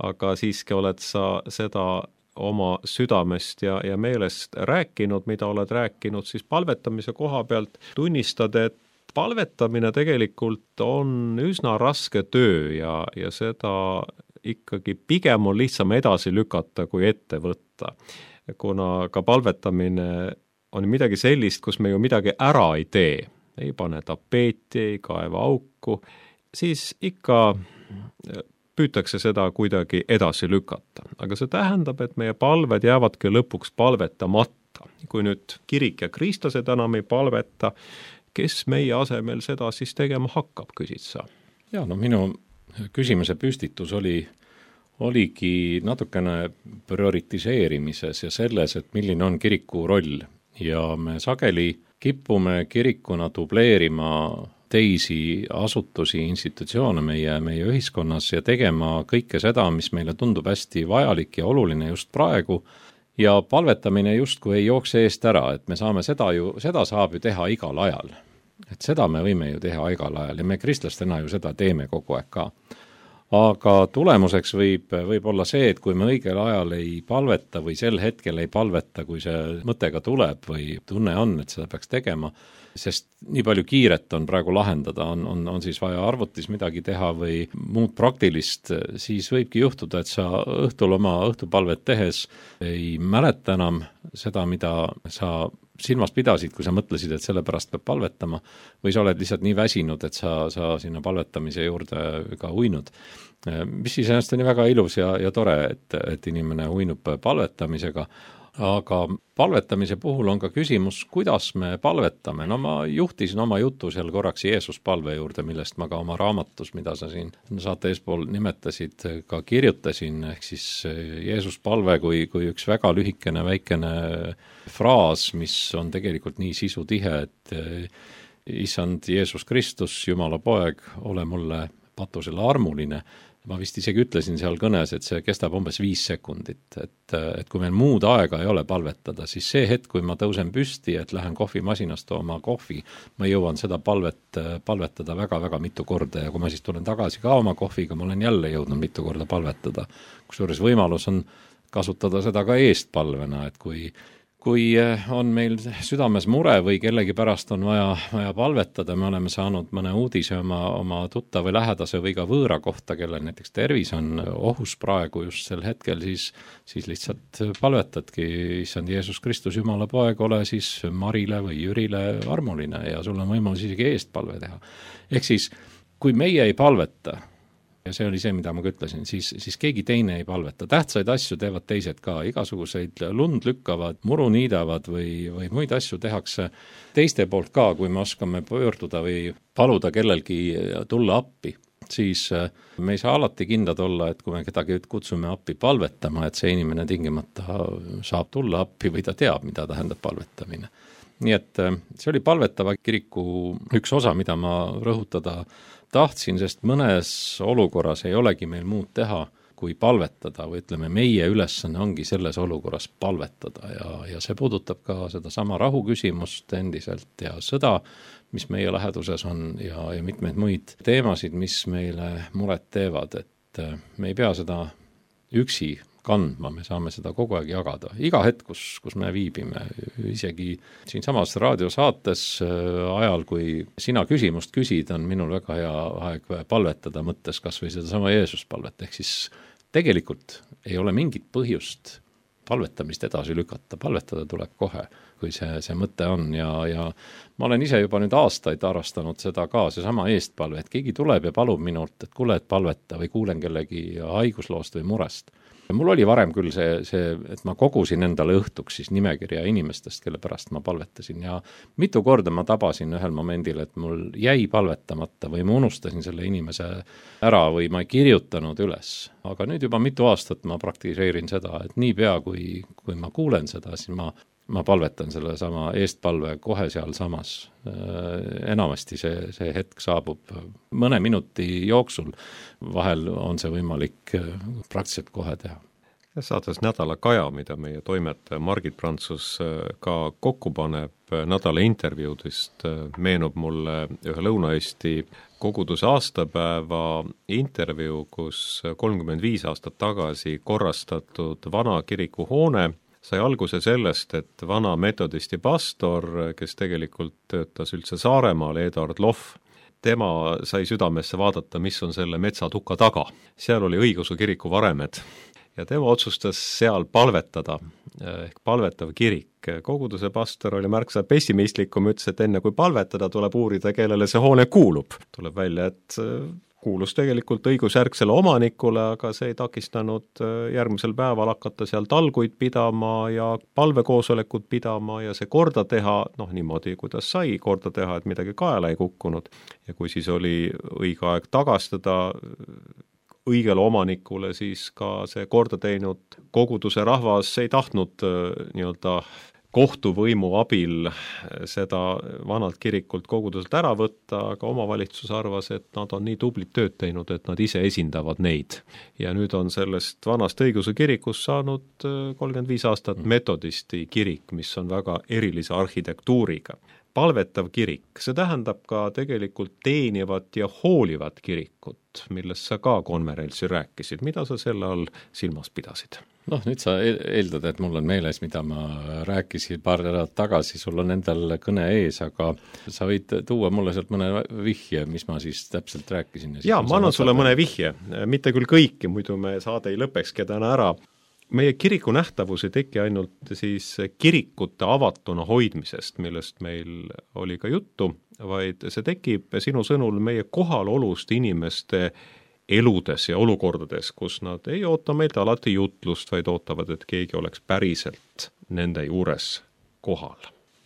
aga siiski oled sa seda oma südamest ja, ja meelest rääkinud, mida oled rääkinud siis palvetamise koha pealt, tunnistad, et palvetamine tegelikult on üsna raske töö ja, ja seda ikkagi pigem on lihtsam edasi lükata kui ette võtta. Kuna ka palvetamine on midagi sellist, kus me ju midagi ära ei tee, ei pane tapeeti, ei kaeva auku, siis ikka püütakse seda kuidagi edasi lükata. Aga see tähendab, et meie palved jäävadki lõpuks palvetamata. Kui nüüd kirik ja kristlased enam ei palveta, kes meie asemel seda siis tegema hakkab, küsid sa? Ja, no minu küsimuse püstitus oli, oligi natukene prioritiseerimises ja selles, et milline on kiriku roll. Ja me sageli kipume kirikuna dubleerima teisi asutusi, institutsioone meie, meie ühiskonnas ja tegema kõike seda, mis meile tundub hästi vajalik ja oluline just praegu. Ja palvetamine justkui ei jookse eest ära, et me saame seda ju, seda saab ju teha igal ajal. Et seda me võime ju teha igal ajal ja me kristlastena ju seda teeme kogu aeg ka. Aga tulemuseks võib, võib olla see, et kui me õigel ajal ei palveta või sel hetkel ei palveta, kui see mõttega tuleb või tunne on, et seda peaks tegema, sest nii palju kiiret on praegu lahendada, on, on, on siis vaja arvutis midagi teha või muud praktilist, siis võibki juhtuda, et sa õhtul oma õhtupalvet tehes ei mäleta enam seda, mida sa silmas pidasid, kui sa mõtlesid, et selle pärast peab palvetama, või sa oled lihtsalt nii väsinud, et sa, sa sinna palvetamise juurde ka uinud. Mis siis ennast on väga ilus ja, ja tore, et, et inimene uinub palvetamisega, aga palvetamise puhul on ka küsimus, kuidas me palvetame. No ma juhtisin oma jutu seal korraks Jeesus palve juurde, millest ma ka oma raamatus, mida sa siin saate eespool nimetasid, ka kirjutasin, ehk siis Jeesus palve kui, kui üks väga lühikene väikene fraas, mis on tegelikult nii sisutihe, et Issand Jeesus Kristus, Jumala poeg, ole mulle patusele armuline. Ma vist isegi ütlesin seal kõnes, et see kestab umbes viis sekundit, et, et kui meil muud aega ei ole palvetada, siis see hetk, kui ma tõusen püsti, et lähen kohvimasinast tooma kohvi, ma jõuan seda palvet, palvetada väga-väga mitu korda ja kui ma siis tulen tagasi ka oma kohviga, ma olen jälle jõudnud mitu korda palvetada. Kusjuures võimalus on kasutada seda ka eestpalvena, et kui Kui on meil südames mure või kellegi pärast on vaja, vaja palvetada, me oleme saanud mõne uudise oma, oma tutta või lähedase või ka võõra kohta, kellel näiteks tervis on ohus praegu just sel hetkel, siis, siis lihtsalt palvetadki, Issand Jeesus Kristus, Jumala poeg, ole siis Marile või Jürile armuline ja sul on võimalus isegi eestpalve teha. Ehk siis, kui meie ei palveta, ja see oli see, mida ma ütlesin, siis, siis keegi teine ei palveta. Tähtsaid asju teevad teised ka, igasuguseid lund lükkavad, muru niidavad või, või muid asju tehakse teiste poolt ka, kui me oskame pöörduda või paluda kellelgi tulla appi. Siis me ei saa alati kindlad olla, et kui me kedagi kutsume appi palvetama, et see inimene tingimata saab tulla appi või ta teab, mida tähendab palvetamine. nii et see oli palvetava kiriku üks osa, mida ma rõhutada tahtsin, sest mõnes olukorras ei olegi meil muud teha, kui palvetada või ütleme, meie ülesanne ongi selles olukorras palvetada ja, ja see puudutab ka seda sama rahu küsimust endiselt ja sõda, mis meie läheduses on ja, ja mitmeid muid teemasid, mis meile muret teevad, et me ei pea seda üksi kandma, me saame seda kogu aeg jagada. Iga hetk, kus, kus me viibime, isegi siin samas raadiosaates ajal, kui sina küsimust küsid, on minul väga hea aeg palvetada mõttes kas või seda sama Jeesus palvet, ehk siis tegelikult ei ole mingit põhjust palvetamist edasi lükata, palvetada tuleb kohe, kui see, see mõte on ja, ja ma olen ise juba nüüd aastaid harrastanud seda ka, see sama eestpalve, et keegi tuleb ja palub minult, et kuule, et palveta või kuulen kellegi haigusloost või murest. Mul oli varem küll see, see, et ma kogusin endale õhtuks siis nimekirja inimestest, kelle pärast ma palvetasin ja mitu korda ma tabasin ühel momendil, et mul jäi palvetamata või ma unustasin selle inimese ära või ma ei kirjutanud üles. Aga nüüd juba mitu aastat ma praktiseerin seda, et niipea kui, kui ma kuulen seda, siis ma ma palvetan selle sama eestpalve kohe seal samas. Enamasti see, see hetk saabub mõne minuti jooksul, vahel on see võimalik praktiliselt kohe teha. Saates Nädala Kaja, mida meie toimetaja Margit Prantsus ka kokku paneb nädala intervjuudest, meenub mulle ühe Lõuna-Eesti koguduse aastapäeva intervjuu, kus kolmkümmend viis aastat tagasi korrastatud vana kirikuhoone sai alguse sellest, et vana metodisti pastor, kes tegelikult töötas üldse Saaremaal, Eduard Lohv, tema sai südamesse vaadata, mis on selle metsatuka taga. Seal oli õigeusu kiriku varemed ja tema otsustas seal palvetada, ehk palvetav kirik. Koguduse pastor oli märksa pessimistlikum, ütles, et enne kui palvetada, tuleb uurida, kellele see hoone kuulub. Tuleb välja, et kuulus tegelikult õigusjärgsele omanikule, aga see ei takistanud järgmisel päeval hakata seal talguid pidama ja palvekoosolekut pidama ja see korda teha, noh niimoodi, kuidas sai korda teha, et midagi kaela ei kukkunud. Ja kui siis oli õige aeg tagastada õigele omanikule, siis ka see korda teinud koguduse rahvas ei tahtnud nii-öelda kohtuvõimu abil seda vanalt kirikult koguduselt ära võtta, aga omavalitsus arvas, et nad on nii tublit tööd teinud, et nad ise esindavad neid. Ja nüüd on sellest vanast õigeusu kirikust saanud kolmkümmend viis aastat metodisti kirik, mis on väga erilise arhitektuuriga. Palvetav kirik, see tähendab ka tegelikult teenivat ja hoolivat kirikut, millest sa ka konverentsil rääkisid. Mida sa selle all silmas pidasid? Noh, nüüd sa eeldad, et mul on meeles, mida ma rääkisin paar nädalat tagasi, sul on endal kõne ees, aga sa võid tuua mulle sealt mõne vihje, mis ma siis täpselt rääkisin. Jaa, ma annan sulle mõne vihje, mitte küll kõiki, muidu me saade ei lõpekski täna ära. Meie kiriku nähtavus ei teki ainult siis kirikute avatuna hoidmisest, millest meil oli ka juttu, vaid see tekib sinu sõnul meie kohalolust inimeste eludes ja olukordades, kus nad ei oota meilt alati jutlust, vaid ootavad, et keegi oleks päriselt nende juures kohal.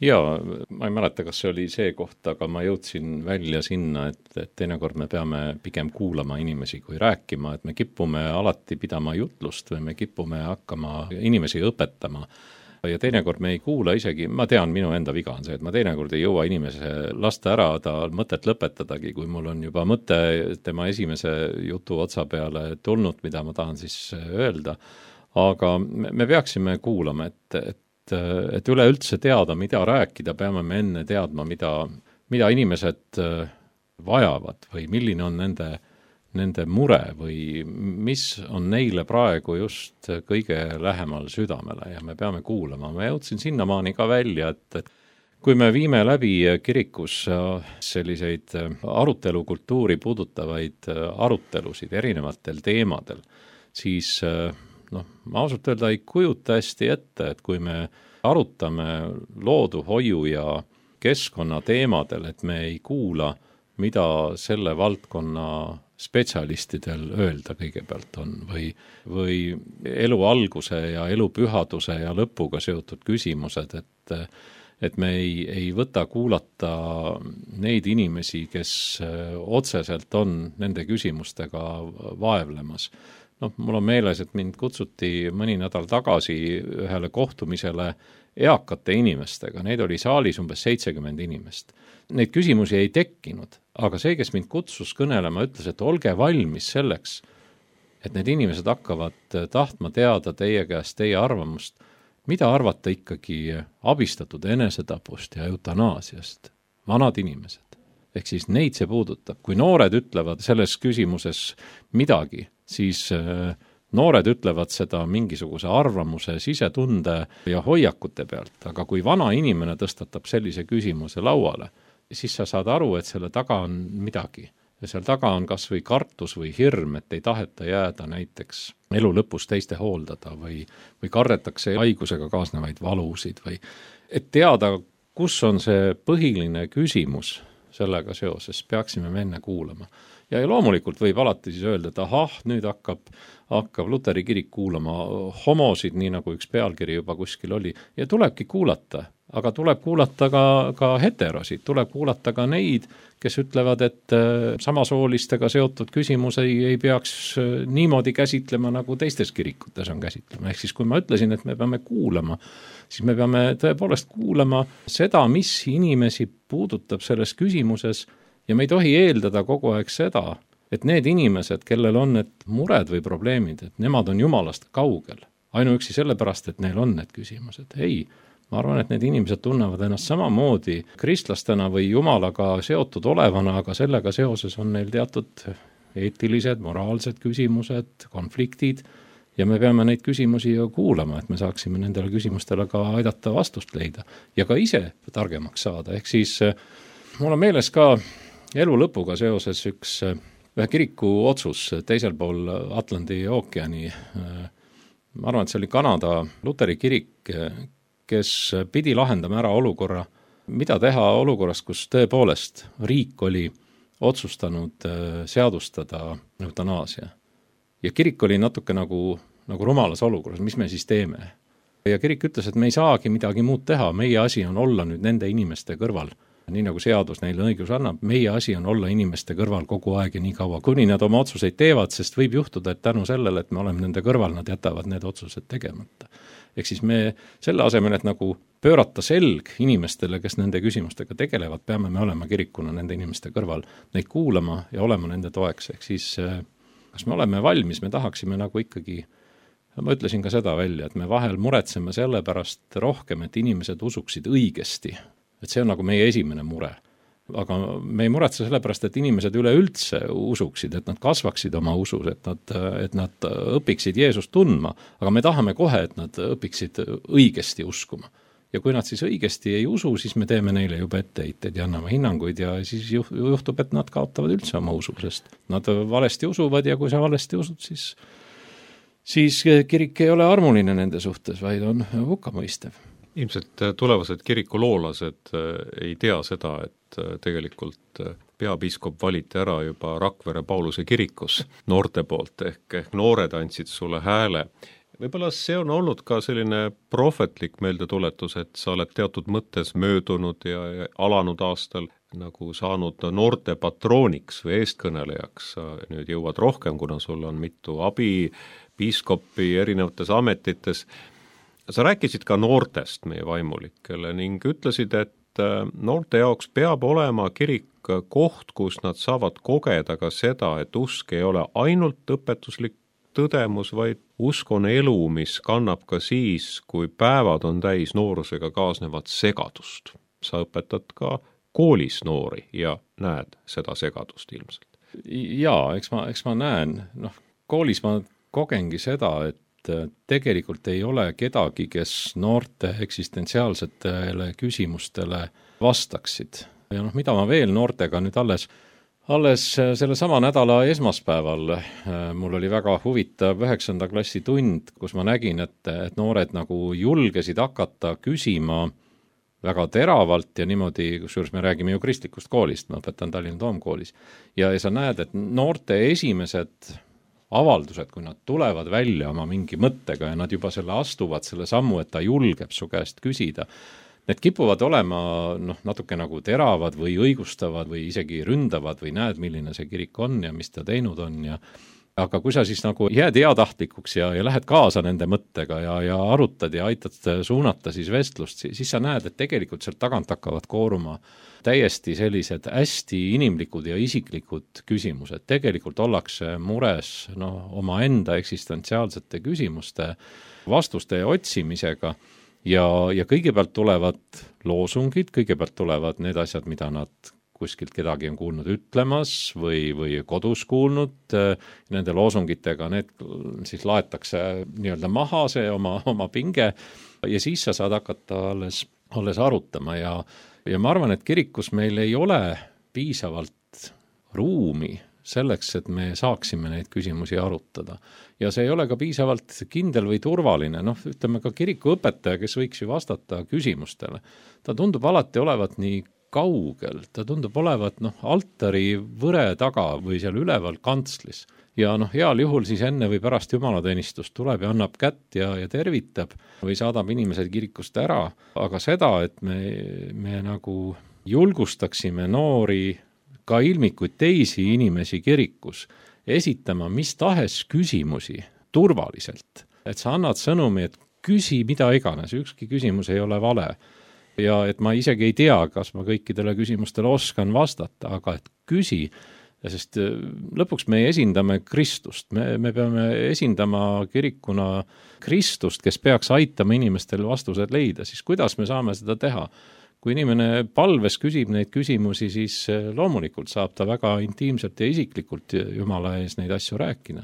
Jaa, ma ei mäleta, kas see oli see koht, aga ma jõudsin välja sinna, et, et teinekord me peame pigem kuulama inimesi kui rääkima, et me kipume alati pidama jutlust või me kipume hakkama inimesi õpetama. Ja teinekord me ei kuula isegi, ma tean, minu enda viga on see, et ma teinekord ei jõua inimese lasta ära, ta mõtet lõpetadagi, kui mul on juba mõte tema esimese jutu otsa peale tulnud, mida ma tahan siis öelda. Aga me peaksime kuulama, et, et et üleüldse teada, mida rääkida, peame me enne teadma, mida, mida inimesed vajavad või milline on nende, nende mure või mis on neile praegu just kõige lähemal südamele ja me peame kuulama. Ma jõudsin sinnamaani ka välja, et, et kui me viime läbi kirikus selliseid arutelukultuuri puudutavaid arutelusid erinevatel teemadel, siis noh, ma ausalt öelda ei kujuta hästi ette, et kui me arutame looduhoiu ja keskkonna teemadel, et me ei kuula, mida selle valdkonna spetsialistidel öelda kõigepealt on või, või elu alguse ja elu pühaduse ja lõpuga seotud küsimused, et, et me ei, ei võta kuulata neid inimesi, kes otseselt on nende küsimustega vaevlemas. Noh, mul on meeles, et mind kutsuti mõni nädal tagasi ühele kohtumisele eakate inimestega, neid oli saalis umbes seitsekümmend inimest. Neid küsimusi ei tekkinud, aga see, kes mind kutsus kõnelema, ütles, et olge valmis selleks, et need inimesed hakkavad tahtma teada teie käest, teie arvamust, mida arvata ikkagi abistatud enesetapust ja eutanaasiast, vanad inimesed. Ehk siis neid see puudutab. Kui noored ütlevad selles küsimuses midagi, siis noored ütlevad seda mingisuguse arvamuse, sisetunde ja hoiakute pealt, aga kui vana inimene tõstatab sellise küsimuse lauale, siis sa saad aru, et selle taga on midagi. Ja seal taga on kas või kartus või hirm, et ei taheta jääda näiteks elu lõpus teiste hooldada või, või kardetakse haigusega kaasnevaid valusid või et teada, kus on see põhiline küsimus sellega seoses, peaksime me enne kuulama. Ja loomulikult võib alati siis öelda, et ahah, nüüd hakkab, hakkab Luteri kirik kuulama homosid, nii nagu üks pealkiri juba kuskil oli, ja tulebki kuulata, aga tuleb kuulata ka, ka heterosid, tuleb kuulata ka neid, kes ütlevad, et samasoolistega seotud küsimus ei, ei peaks niimoodi käsitlema, nagu teistes kirikutes on käsitlema. Ehk siis, kui ma ütlesin, et me peame kuulama, siis me peame tõepoolest kuulama seda, mis inimesi puudutab selles küsimuses ja me ei tohi eeldada kogu aeg seda, et need inimesed, kellel on need mured või probleemid, et nemad on Jumalast kaugel, ainuüksi sellepärast, et neil on need küsimused. Ei, ma arvan, et need inimesed tunnevad ennast samamoodi kristlastena või Jumalaga seotud olevana, aga sellega seoses on neil teatud eetilised, moraalsed küsimused, konfliktid ja me peame neid küsimusi ju kuulama, et me saaksime nendele küsimustele ka aidata vastust leida ja ka ise targemaks saada. Ehk siis mul on meeles ka elu lõpuga seoses üks ühe kiriku otsus teisel pool Atlandi ookeani. Ma arvan, et see oli Kanada Luteri kirik, kes pidi lahendama ära olukorra, mida teha olukorras, kus tõepoolest riik oli otsustanud seadustada eutanaasia. Ja kirik oli natuke nagu, nagu rumalas olukorras, mis me siis teeme. Ja kirik ütles, et me ei saagi midagi muud teha, meie asi on olla nüüd nende inimeste kõrval. Nii nagu seadus neile õigus annab, meie asi on olla inimeste kõrval kogu aeg ja nii kaua, kuni nad oma otsuseid teevad, sest võib juhtuda, et tänu sellele, et me oleme nende kõrval, nad jätavad need otsused tegemata. Ehk siis me selle asemel, et nagu pöörata selg inimestele, kes nende küsimustega tegelevad, peame me olema kirikuna nende inimeste kõrval, neid kuulama ja olema nende toeks. Ehk siis kas me oleme valmis, me tahaksime nagu ikkagi, ma ütlesin ka seda välja, et me vahel muretseme selle pärast rohkem, et inimesed usuksid õigesti. Et see on nagu meie esimene mure. Aga me ei muretse selle pärast, et inimesed üleüldse usuksid, et nad kasvaksid oma usus, et nad, et nad õpiksid Jeesust tundma, aga me tahame kohe, et nad õpiksid õigesti uskuma. Ja kui nad siis õigesti ei usu, siis me teeme neile juba etteheited ja anname hinnanguid ja siis juhtub, et nad kaotavad üldse oma usu, sest nad valesti usuvad ja kui sa valesti usud, siis, siis kirik ei ole armuline nende suhtes, vaid on hukkamõistev. Ilmselt tulevased kirikuloolased ei tea seda, et tegelikult peapiiskop valiti ära juba Rakvere Pauluse kirikus noorte poolt, ehk, ehk noored andsid sulle hääle. Võib-olla see on olnud ka selline prohvetlik meeldetuletus, et sa oled teatud mõttes möödunud ja, ja alanud aastal nagu saanud noorte patrooniks või eestkõnelejaks. Sa nüüd jõuad rohkem, kuna sul on mitu abi, piiskopi erinevates ametites. Sa rääkisid ka noortest meie vaimulikele ning ütlesid, et noorte jaoks peab olema kirik koht, kus nad saavad kogeda ka seda, et usk ei ole ainult õpetuslik tõdemus, vaid usk on elu, mis kannab ka siis, kui päevad on täis noorusega kaasnevat segadust. Sa õpetad ka koolis noori ja näed seda segadust ilmselt. Jaa, eks ma, eks ma näen. Noh, koolis ma kogengi seda, et tegelikult ei ole kedagi, kes noorte eksistentsiaalsetele küsimustele vastaksid. Ja noh, mida ma veel noortega nüüd alles, alles selle sama nädala esmaspäeval, mul oli väga huvitav üheksanda klassi tund, kus ma nägin, et, et noored nagu julgesid hakata küsima väga teravalt ja niimoodi, kusjuures me räägime ju kristlikust koolist, ma õpetan Tallinna Toomkoolis. Ja, ja sa näed, et noorte esimesed avaldused, kui nad tulevad välja oma mingi mõttega ja nad juba selle astuvad selle sammu, et ta julgeb su käest küsida, need kipuvad olema noh, natuke nagu teravad või õigustavad või isegi ründavad või näed, milline see kirik on ja mis ta teinud on ja aga kui sa siis nagu jääd heatahtlikuks ja, ja lähed kaasa nende mõttega ja, ja arutad ja aitad suunata siis vestlust, siis sa näed, et tegelikult sealt tagant hakkavad kooruma täiesti sellised hästi inimlikud ja isiklikud küsimused. Tegelikult ollakse mures no, oma enda eksistentsiaalsete küsimuste vastuste otsimisega ja, ja kõigepealt tulevad loosungid, kõigepealt tulevad need asjad, mida nad kuskilt kedagi on kuulnud ütlemas või, või kodus kuulnud, nende loosungitega need siis laetakse nii-öelda maha see oma, oma pinge ja siis sa saad hakata alles, alles arutama ja, ja ma arvan, et kirikus meil ei ole piisavalt ruumi selleks, et me saaksime neid küsimusi arutada. Ja see ei ole ka piisavalt kindel või turvaline, noh, ütleme ka kiriku õpetaja, kes võiks ju vastata küsimustele. Ta tundub alati olevat nii kaugel, ta tundub olevat noh, altari võre taga või seal üleval kantslis. Ja noh, heal juhul siis enne või pärast jumalateenistust tuleb ja annab kätt ja, ja tervitab või saadab inimesed kirikust ära, aga seda, et me, me nagu julgustaksime noori, ka ilmikuid teisi inimesi kirikus, esitama mis tahes küsimusi turvaliselt, et sa annad sõnumi, et küsi mida iganes, ükski küsimus ei ole vale. Ja et ma isegi ei tea, kas ma kõikidele küsimustele oskan vastata, aga et küsi, sest lõpuks me esindame Kristust, me, me peame esindama kirikuna Kristust, kes peaks aitama inimestel vastused leida, siis kuidas me saame seda teha? Kui inimene palves küsib neid küsimusi, siis loomulikult saab ta väga intiimselt ja isiklikult Jumala ees neid asju rääkida.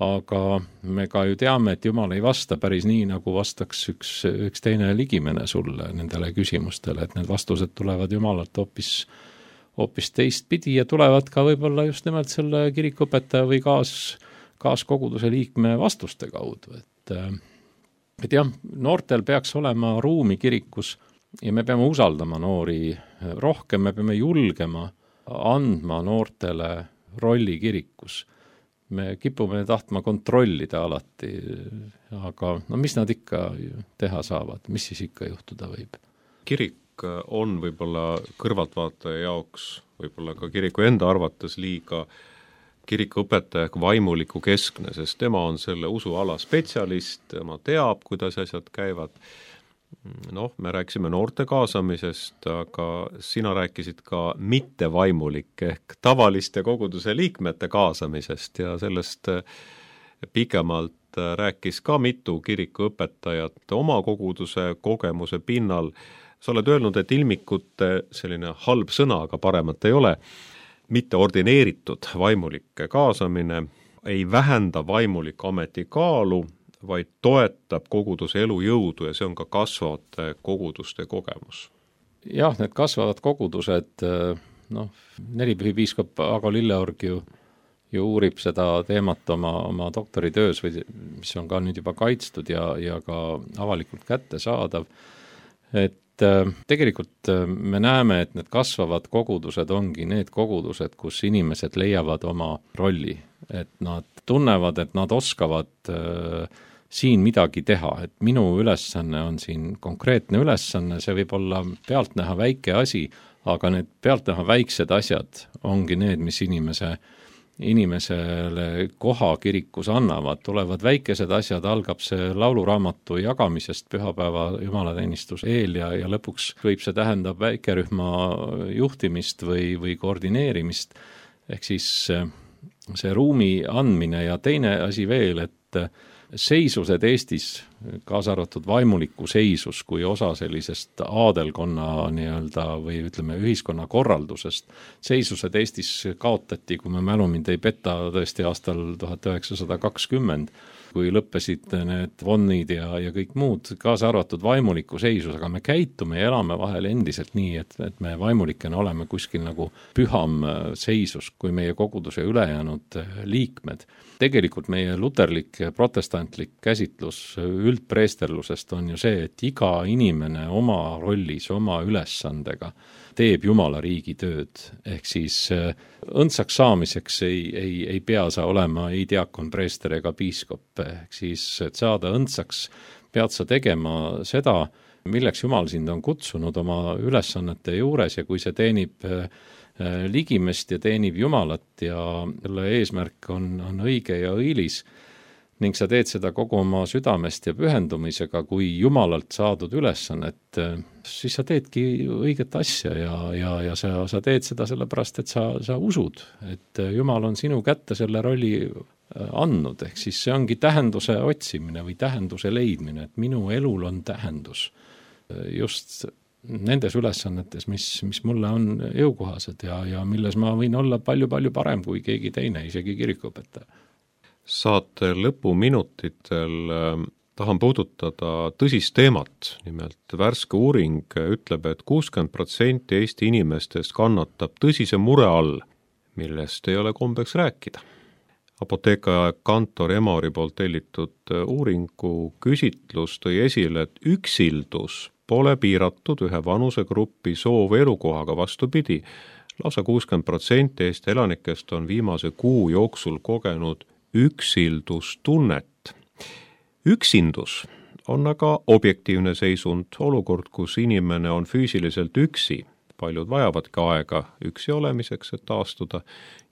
Aga me ka ju teame, et Jumal ei vasta päris nii, nagu vastaks üks, üks teine ligimene sulle nendele küsimustele, et need vastused tulevad Jumalalt hoopis, hoopis teistpidi ja tulevad ka võib-olla just nimelt selle kirikuõpetaja või kaas, kaaskoguduse liikme vastuste kaudu. Et, et jah, noortel peaks olema ruumi kirikus ja me peame usaldama noori rohkem, me peame julgema andma noortele rolli kirikus. Me kipume tahtma kontrollida alati, aga no mis nad ikka teha saavad, mis siis ikka juhtuda võib? Kirik on võib-olla kõrvaltvaataja jaoks, võib-olla ka kiriku enda arvates liiga kirikuõpetaja vaimuliku keskne, sest tema on selle usuala spetsialist, tema teab, kuidas asjad käivad. Noh, me rääkisime noorte kaasamisest, aga sina rääkisid ka mittevaimulik ehk tavaliste koguduse liikmete kaasamisest ja sellest pikemalt rääkis ka mitu kirikuõpetajat oma koguduse kogemuse pinnal. Sa oled öelnud, et ilmikute selline halb sõna, aga paremat ei ole, mitte ordineeritud vaimulike kaasamine ei vähenda vaimuliku ameti kaalu, vaid toetab koguduse elujõudu ja see on ka kasvavate koguduste kogemus. Jah, need kasvavad kogudused, noh, nelipühi piiskop Ago Lilleorg ju, ju uurib seda teemat oma, oma doktoritöös, või, mis on ka nüüd juba kaitstud ja, ja ka avalikult kätte saadav. Et tegelikult me näeme, et need kasvavad kogudused ongi need kogudused, kus inimesed leiavad oma rolli, et nad tunnevad, et nad oskavad äh, siin midagi teha, et minu ülesanne on siin konkreetne ülesanne, see võib olla pealtnäha väike asi, aga need pealtnäha väiksed asjad ongi need, mis inimese inimesele koha kirikus annavad, tulevad väikesed asjad, algab see lauluraamatu jagamisest pühapäeva jumalateenistus eel ja, ja lõpuks võib see tähendab väikerühma juhtimist või, või koordineerimist, ehk siis see ruumi andmine ja teine asi veel, et seisused Eestis, kaasa arvatud vaimuliku seisus kui osa sellisest aadelkonna nii-öelda või ütleme ühiskonna korraldusest. Seisused Eestis kaotati, kui me mälu mind ei peta, tõesti aastal tuhat üheksasada kakskümmend, kui lõppesid need vonnid ja, ja kõik muud, kaasa arvatud vaimuliku seisus, aga me käitume ja elame vahel endiselt nii, et, et me vaimulikena oleme kuskil nagu püham seisus kui meie koguduse ülejäänud liikmed. Tegelikult meie luterlik protestantlik käsitlus üldpreesterlusest on ju see, et iga inimene oma rollis, oma ülesandega teeb Jumala riigi tööd. Ehk siis õndsaks saamiseks ei, ei, ei pea sa olema ei diakon, preester ega piiskop. Ehk siis, et saada õndsaks, pead sa tegema seda, milleks Jumal sind on kutsunud oma ülesannete juures ja kui see teenib ligimest ja teenib Jumalat ja selle eesmärk on, on õige ja õilis ning sa teed seda kogu oma südamest ja pühendumisega kui Jumalalt saadud ülesannet, siis sa teedki õiget asja ja, ja, ja sa, sa teed seda sellepärast, et sa, sa usud, et Jumal on sinu kätte selle rolli andnud, ehk siis see ongi tähenduse otsimine või tähenduse leidmine, et minu elul on tähendus just nendes ülesannetes, mis, mis mulle on jõukohased ja, ja milles ma võin olla palju-palju parem kui keegi teine, isegi kirikuõpetaja. Saate lõpuminutitel äh, tahan puudutada tõsist teemat, nimelt värske uuring ütleb, et kuuskümmend protsenti Eesti inimestest kannatab tõsise mure all, millest ei ole kombeks rääkida. Apoteeka Kantor Emori poolt tellitud uuringu küsitlus tõi esile, et üksildus pole piiratud ühe vanusegruppi soov elukohaga, vastupidi. Lausa kuuskümmend protsenti Eesti elanikest on viimase kuu jooksul kogenud üksildustunnet. Üksindus on aga objektiivne seisund, olukord, kus inimene on füüsiliselt üksi. Paljud vajavadki aega üksi olemiseks, et taastuda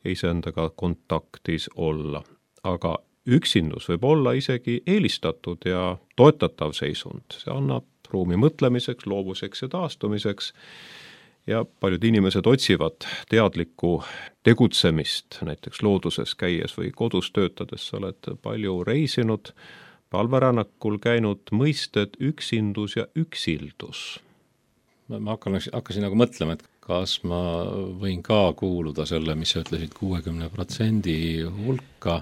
ja iseendaga kontaktis olla. Aga üksindus võib olla isegi eelistatud ja toetatav seisund. See annab ruumi mõtlemiseks, loovuseks ja taastumiseks ja paljud inimesed otsivad teadlikku tegutsemist, näiteks looduses käies või kodus töötades. Sa oled palju reisinud, palverännakul käinud, mõisted üksindus ja üksildus. Ma hakkan, hakkasin nagu mõtlema, et kas ma võin ka kuuluda selle, mis sa ütlesid, kuuekümne protsendi hulka.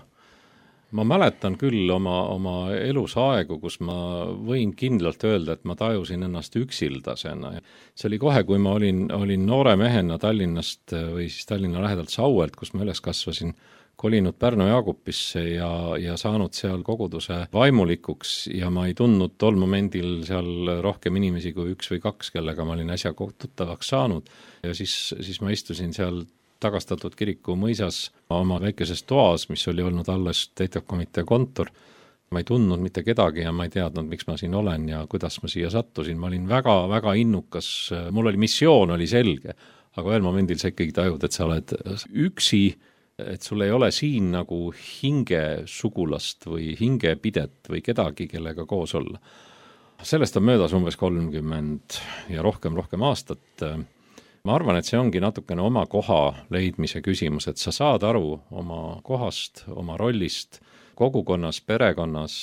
Ma mäletan küll oma, oma elus aegu, kus ma võin kindlalt öelda, et ma tajusin ennast üksildasena. See oli kohe, kui ma olin, olin noore mehena Tallinnast või siis Tallinna lähedalt Sauelt, kus ma üles kasvasin, kolinud Pärnu Jaagupisse ja, ja saanud seal koguduse vaimulikuks ja ma ei tundnud tol momendil seal rohkem inimesi kui üks või kaks, kellega ma olin äsja tuttavaks saanud ja siis, siis ma istusin seal tagastatud kiriku mõisas oma väikeses toas, mis oli olnud alles täitevkomitee kontor. Ma ei tundnud mitte kedagi ja ma ei teadnud, miks ma siin olen ja kuidas ma siia sattusin. Ma olin väga, väga innukas, mul oli missioon, oli selge, aga ühel momendil sa ikkagi tajud, et sa oled üksi, et sul ei ole siin nagu hinge sugulast või hingepidet või kedagi, kellega koos olla. Sellest on möödas umbes kolmkümmend ja rohkem, rohkem aastat. Ma arvan, et see ongi natukene oma koha leidmise küsimus, et sa saad aru oma kohast, oma rollist, kogukonnas, perekonnas,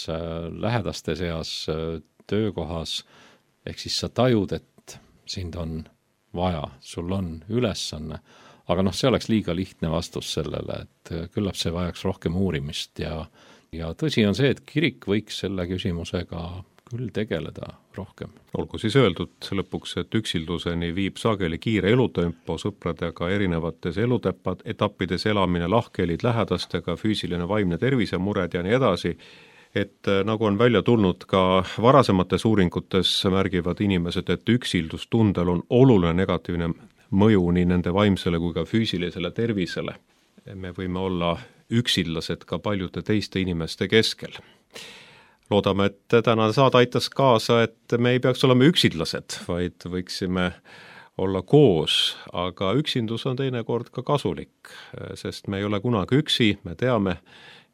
lähedaste seas, töökohas, ehk siis sa tajud, et sind on vaja, sul on ülesanne, aga noh, see oleks liiga lihtne vastus sellele, et küllap see vajaks rohkem uurimist ja, ja tõsi on see, et kirik võiks selle küsimusega küll tegeleda rohkem. Olgu siis öeldud lõpuks, et üksilduseni viib sageli kiire elutempo, sõpradega erinevates elutepad, etappides elamine, lahkhelid lähedastega, füüsiline vaimne tervisemured ja nii edasi, et nagu on välja tulnud ka varasemates uuringutes märgivad inimesed, et üksildustundel on oluline negatiivne mõju nii nende vaimsele kui ka füüsilisele tervisele. Me võime olla üksillased ka paljude teiste inimeste keskel. Loodame, et tänane saade aitas kaasa, et me ei peaks olema üksidlased, vaid võiksime olla koos, aga üksindus on teinekord ka kasulik, sest me ei ole kunagi üksi, me teame,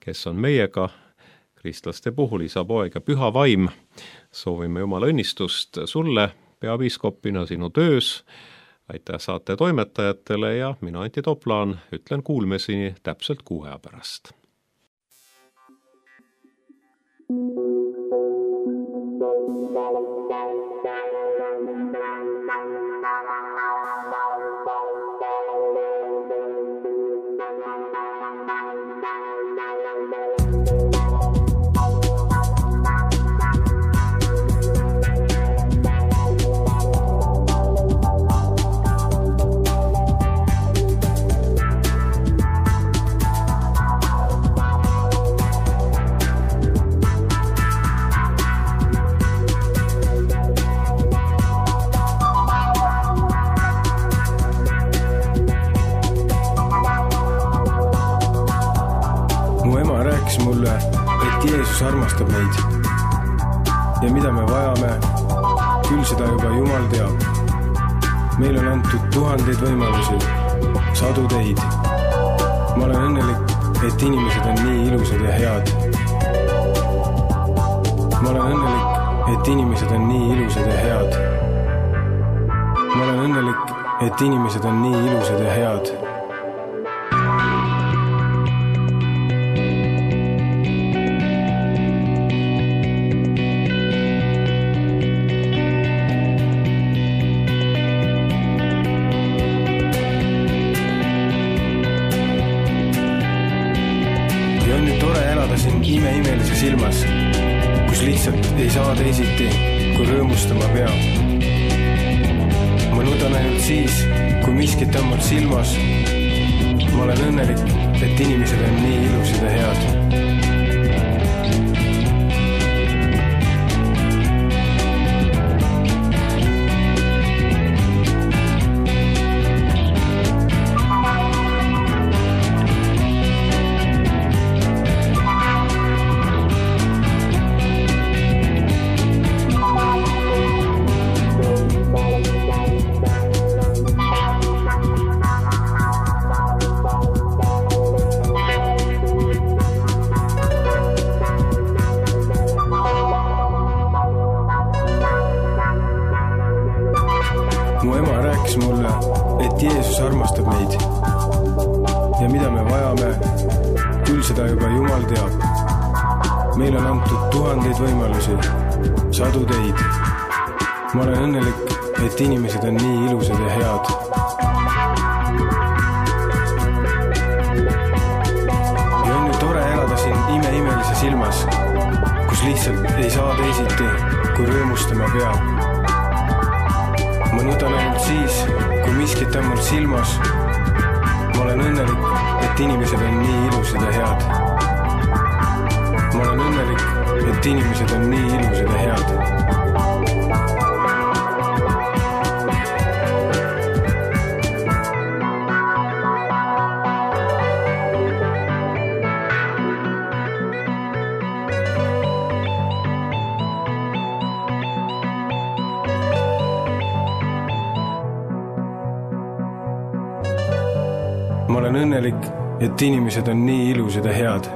kes on meiega, kristlaste puhul isa, poeg ja püha vaim. Soovime Jumala õnnistust sulle peapiiskopina sinu töös, aitäh saate toimetajatele ja mina Antti Toplaan ütlen kuulmesini täpselt kuu aja pärast. Mulle, et Jeesus armastab meid ja mida me vajame, küll seda juba Jumal teab. Meil on antud tuhandeid võimalusi, sadu teid. Ma olen õnnelik, et inimesed on nii ilusad ja head. Ma olen õnnelik, et inimesed on nii ilusad ja head. Ma olen õnnelik, et inimesed on nii ilusad ja head. Ja on nüüd tore elada siin ime-imelise silmas, kus lihtsalt ei saa teisiti, kui rõõmustama peab. Ma nudan ainult siis, kui miskit on mul silmas. Ma olen õnnelik, et inimesed on nii ilusad ja head. Mu ema rääkis mulle, et Jeesus armastab meid. Ja mida me vajame, küll seda juba Jumal teab. Meil on antud tuhandeid võimalusi, sadu teid. Ma olen õnnelik, et inimesed on nii ilusad ja head. Ja on nüüd tore elada siin ime-imelise silmas, kus lihtsalt ei saa teisiti, kui rõõmustama peab. Ma nudan ainult siis, kui miskit on mul silmas. Ma olen õnnelik, et inimesed on nii ilusad ja head. Ma olen õnnelik, et inimesed on nii ilusad ja head. Ma olen õnnelik, et inimesed on nii ilusad ja head.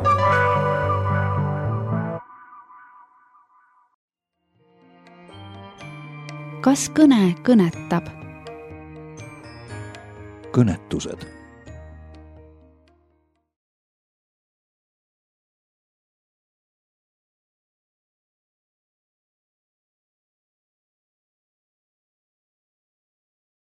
Kas kõne kõnetab? Kõnetused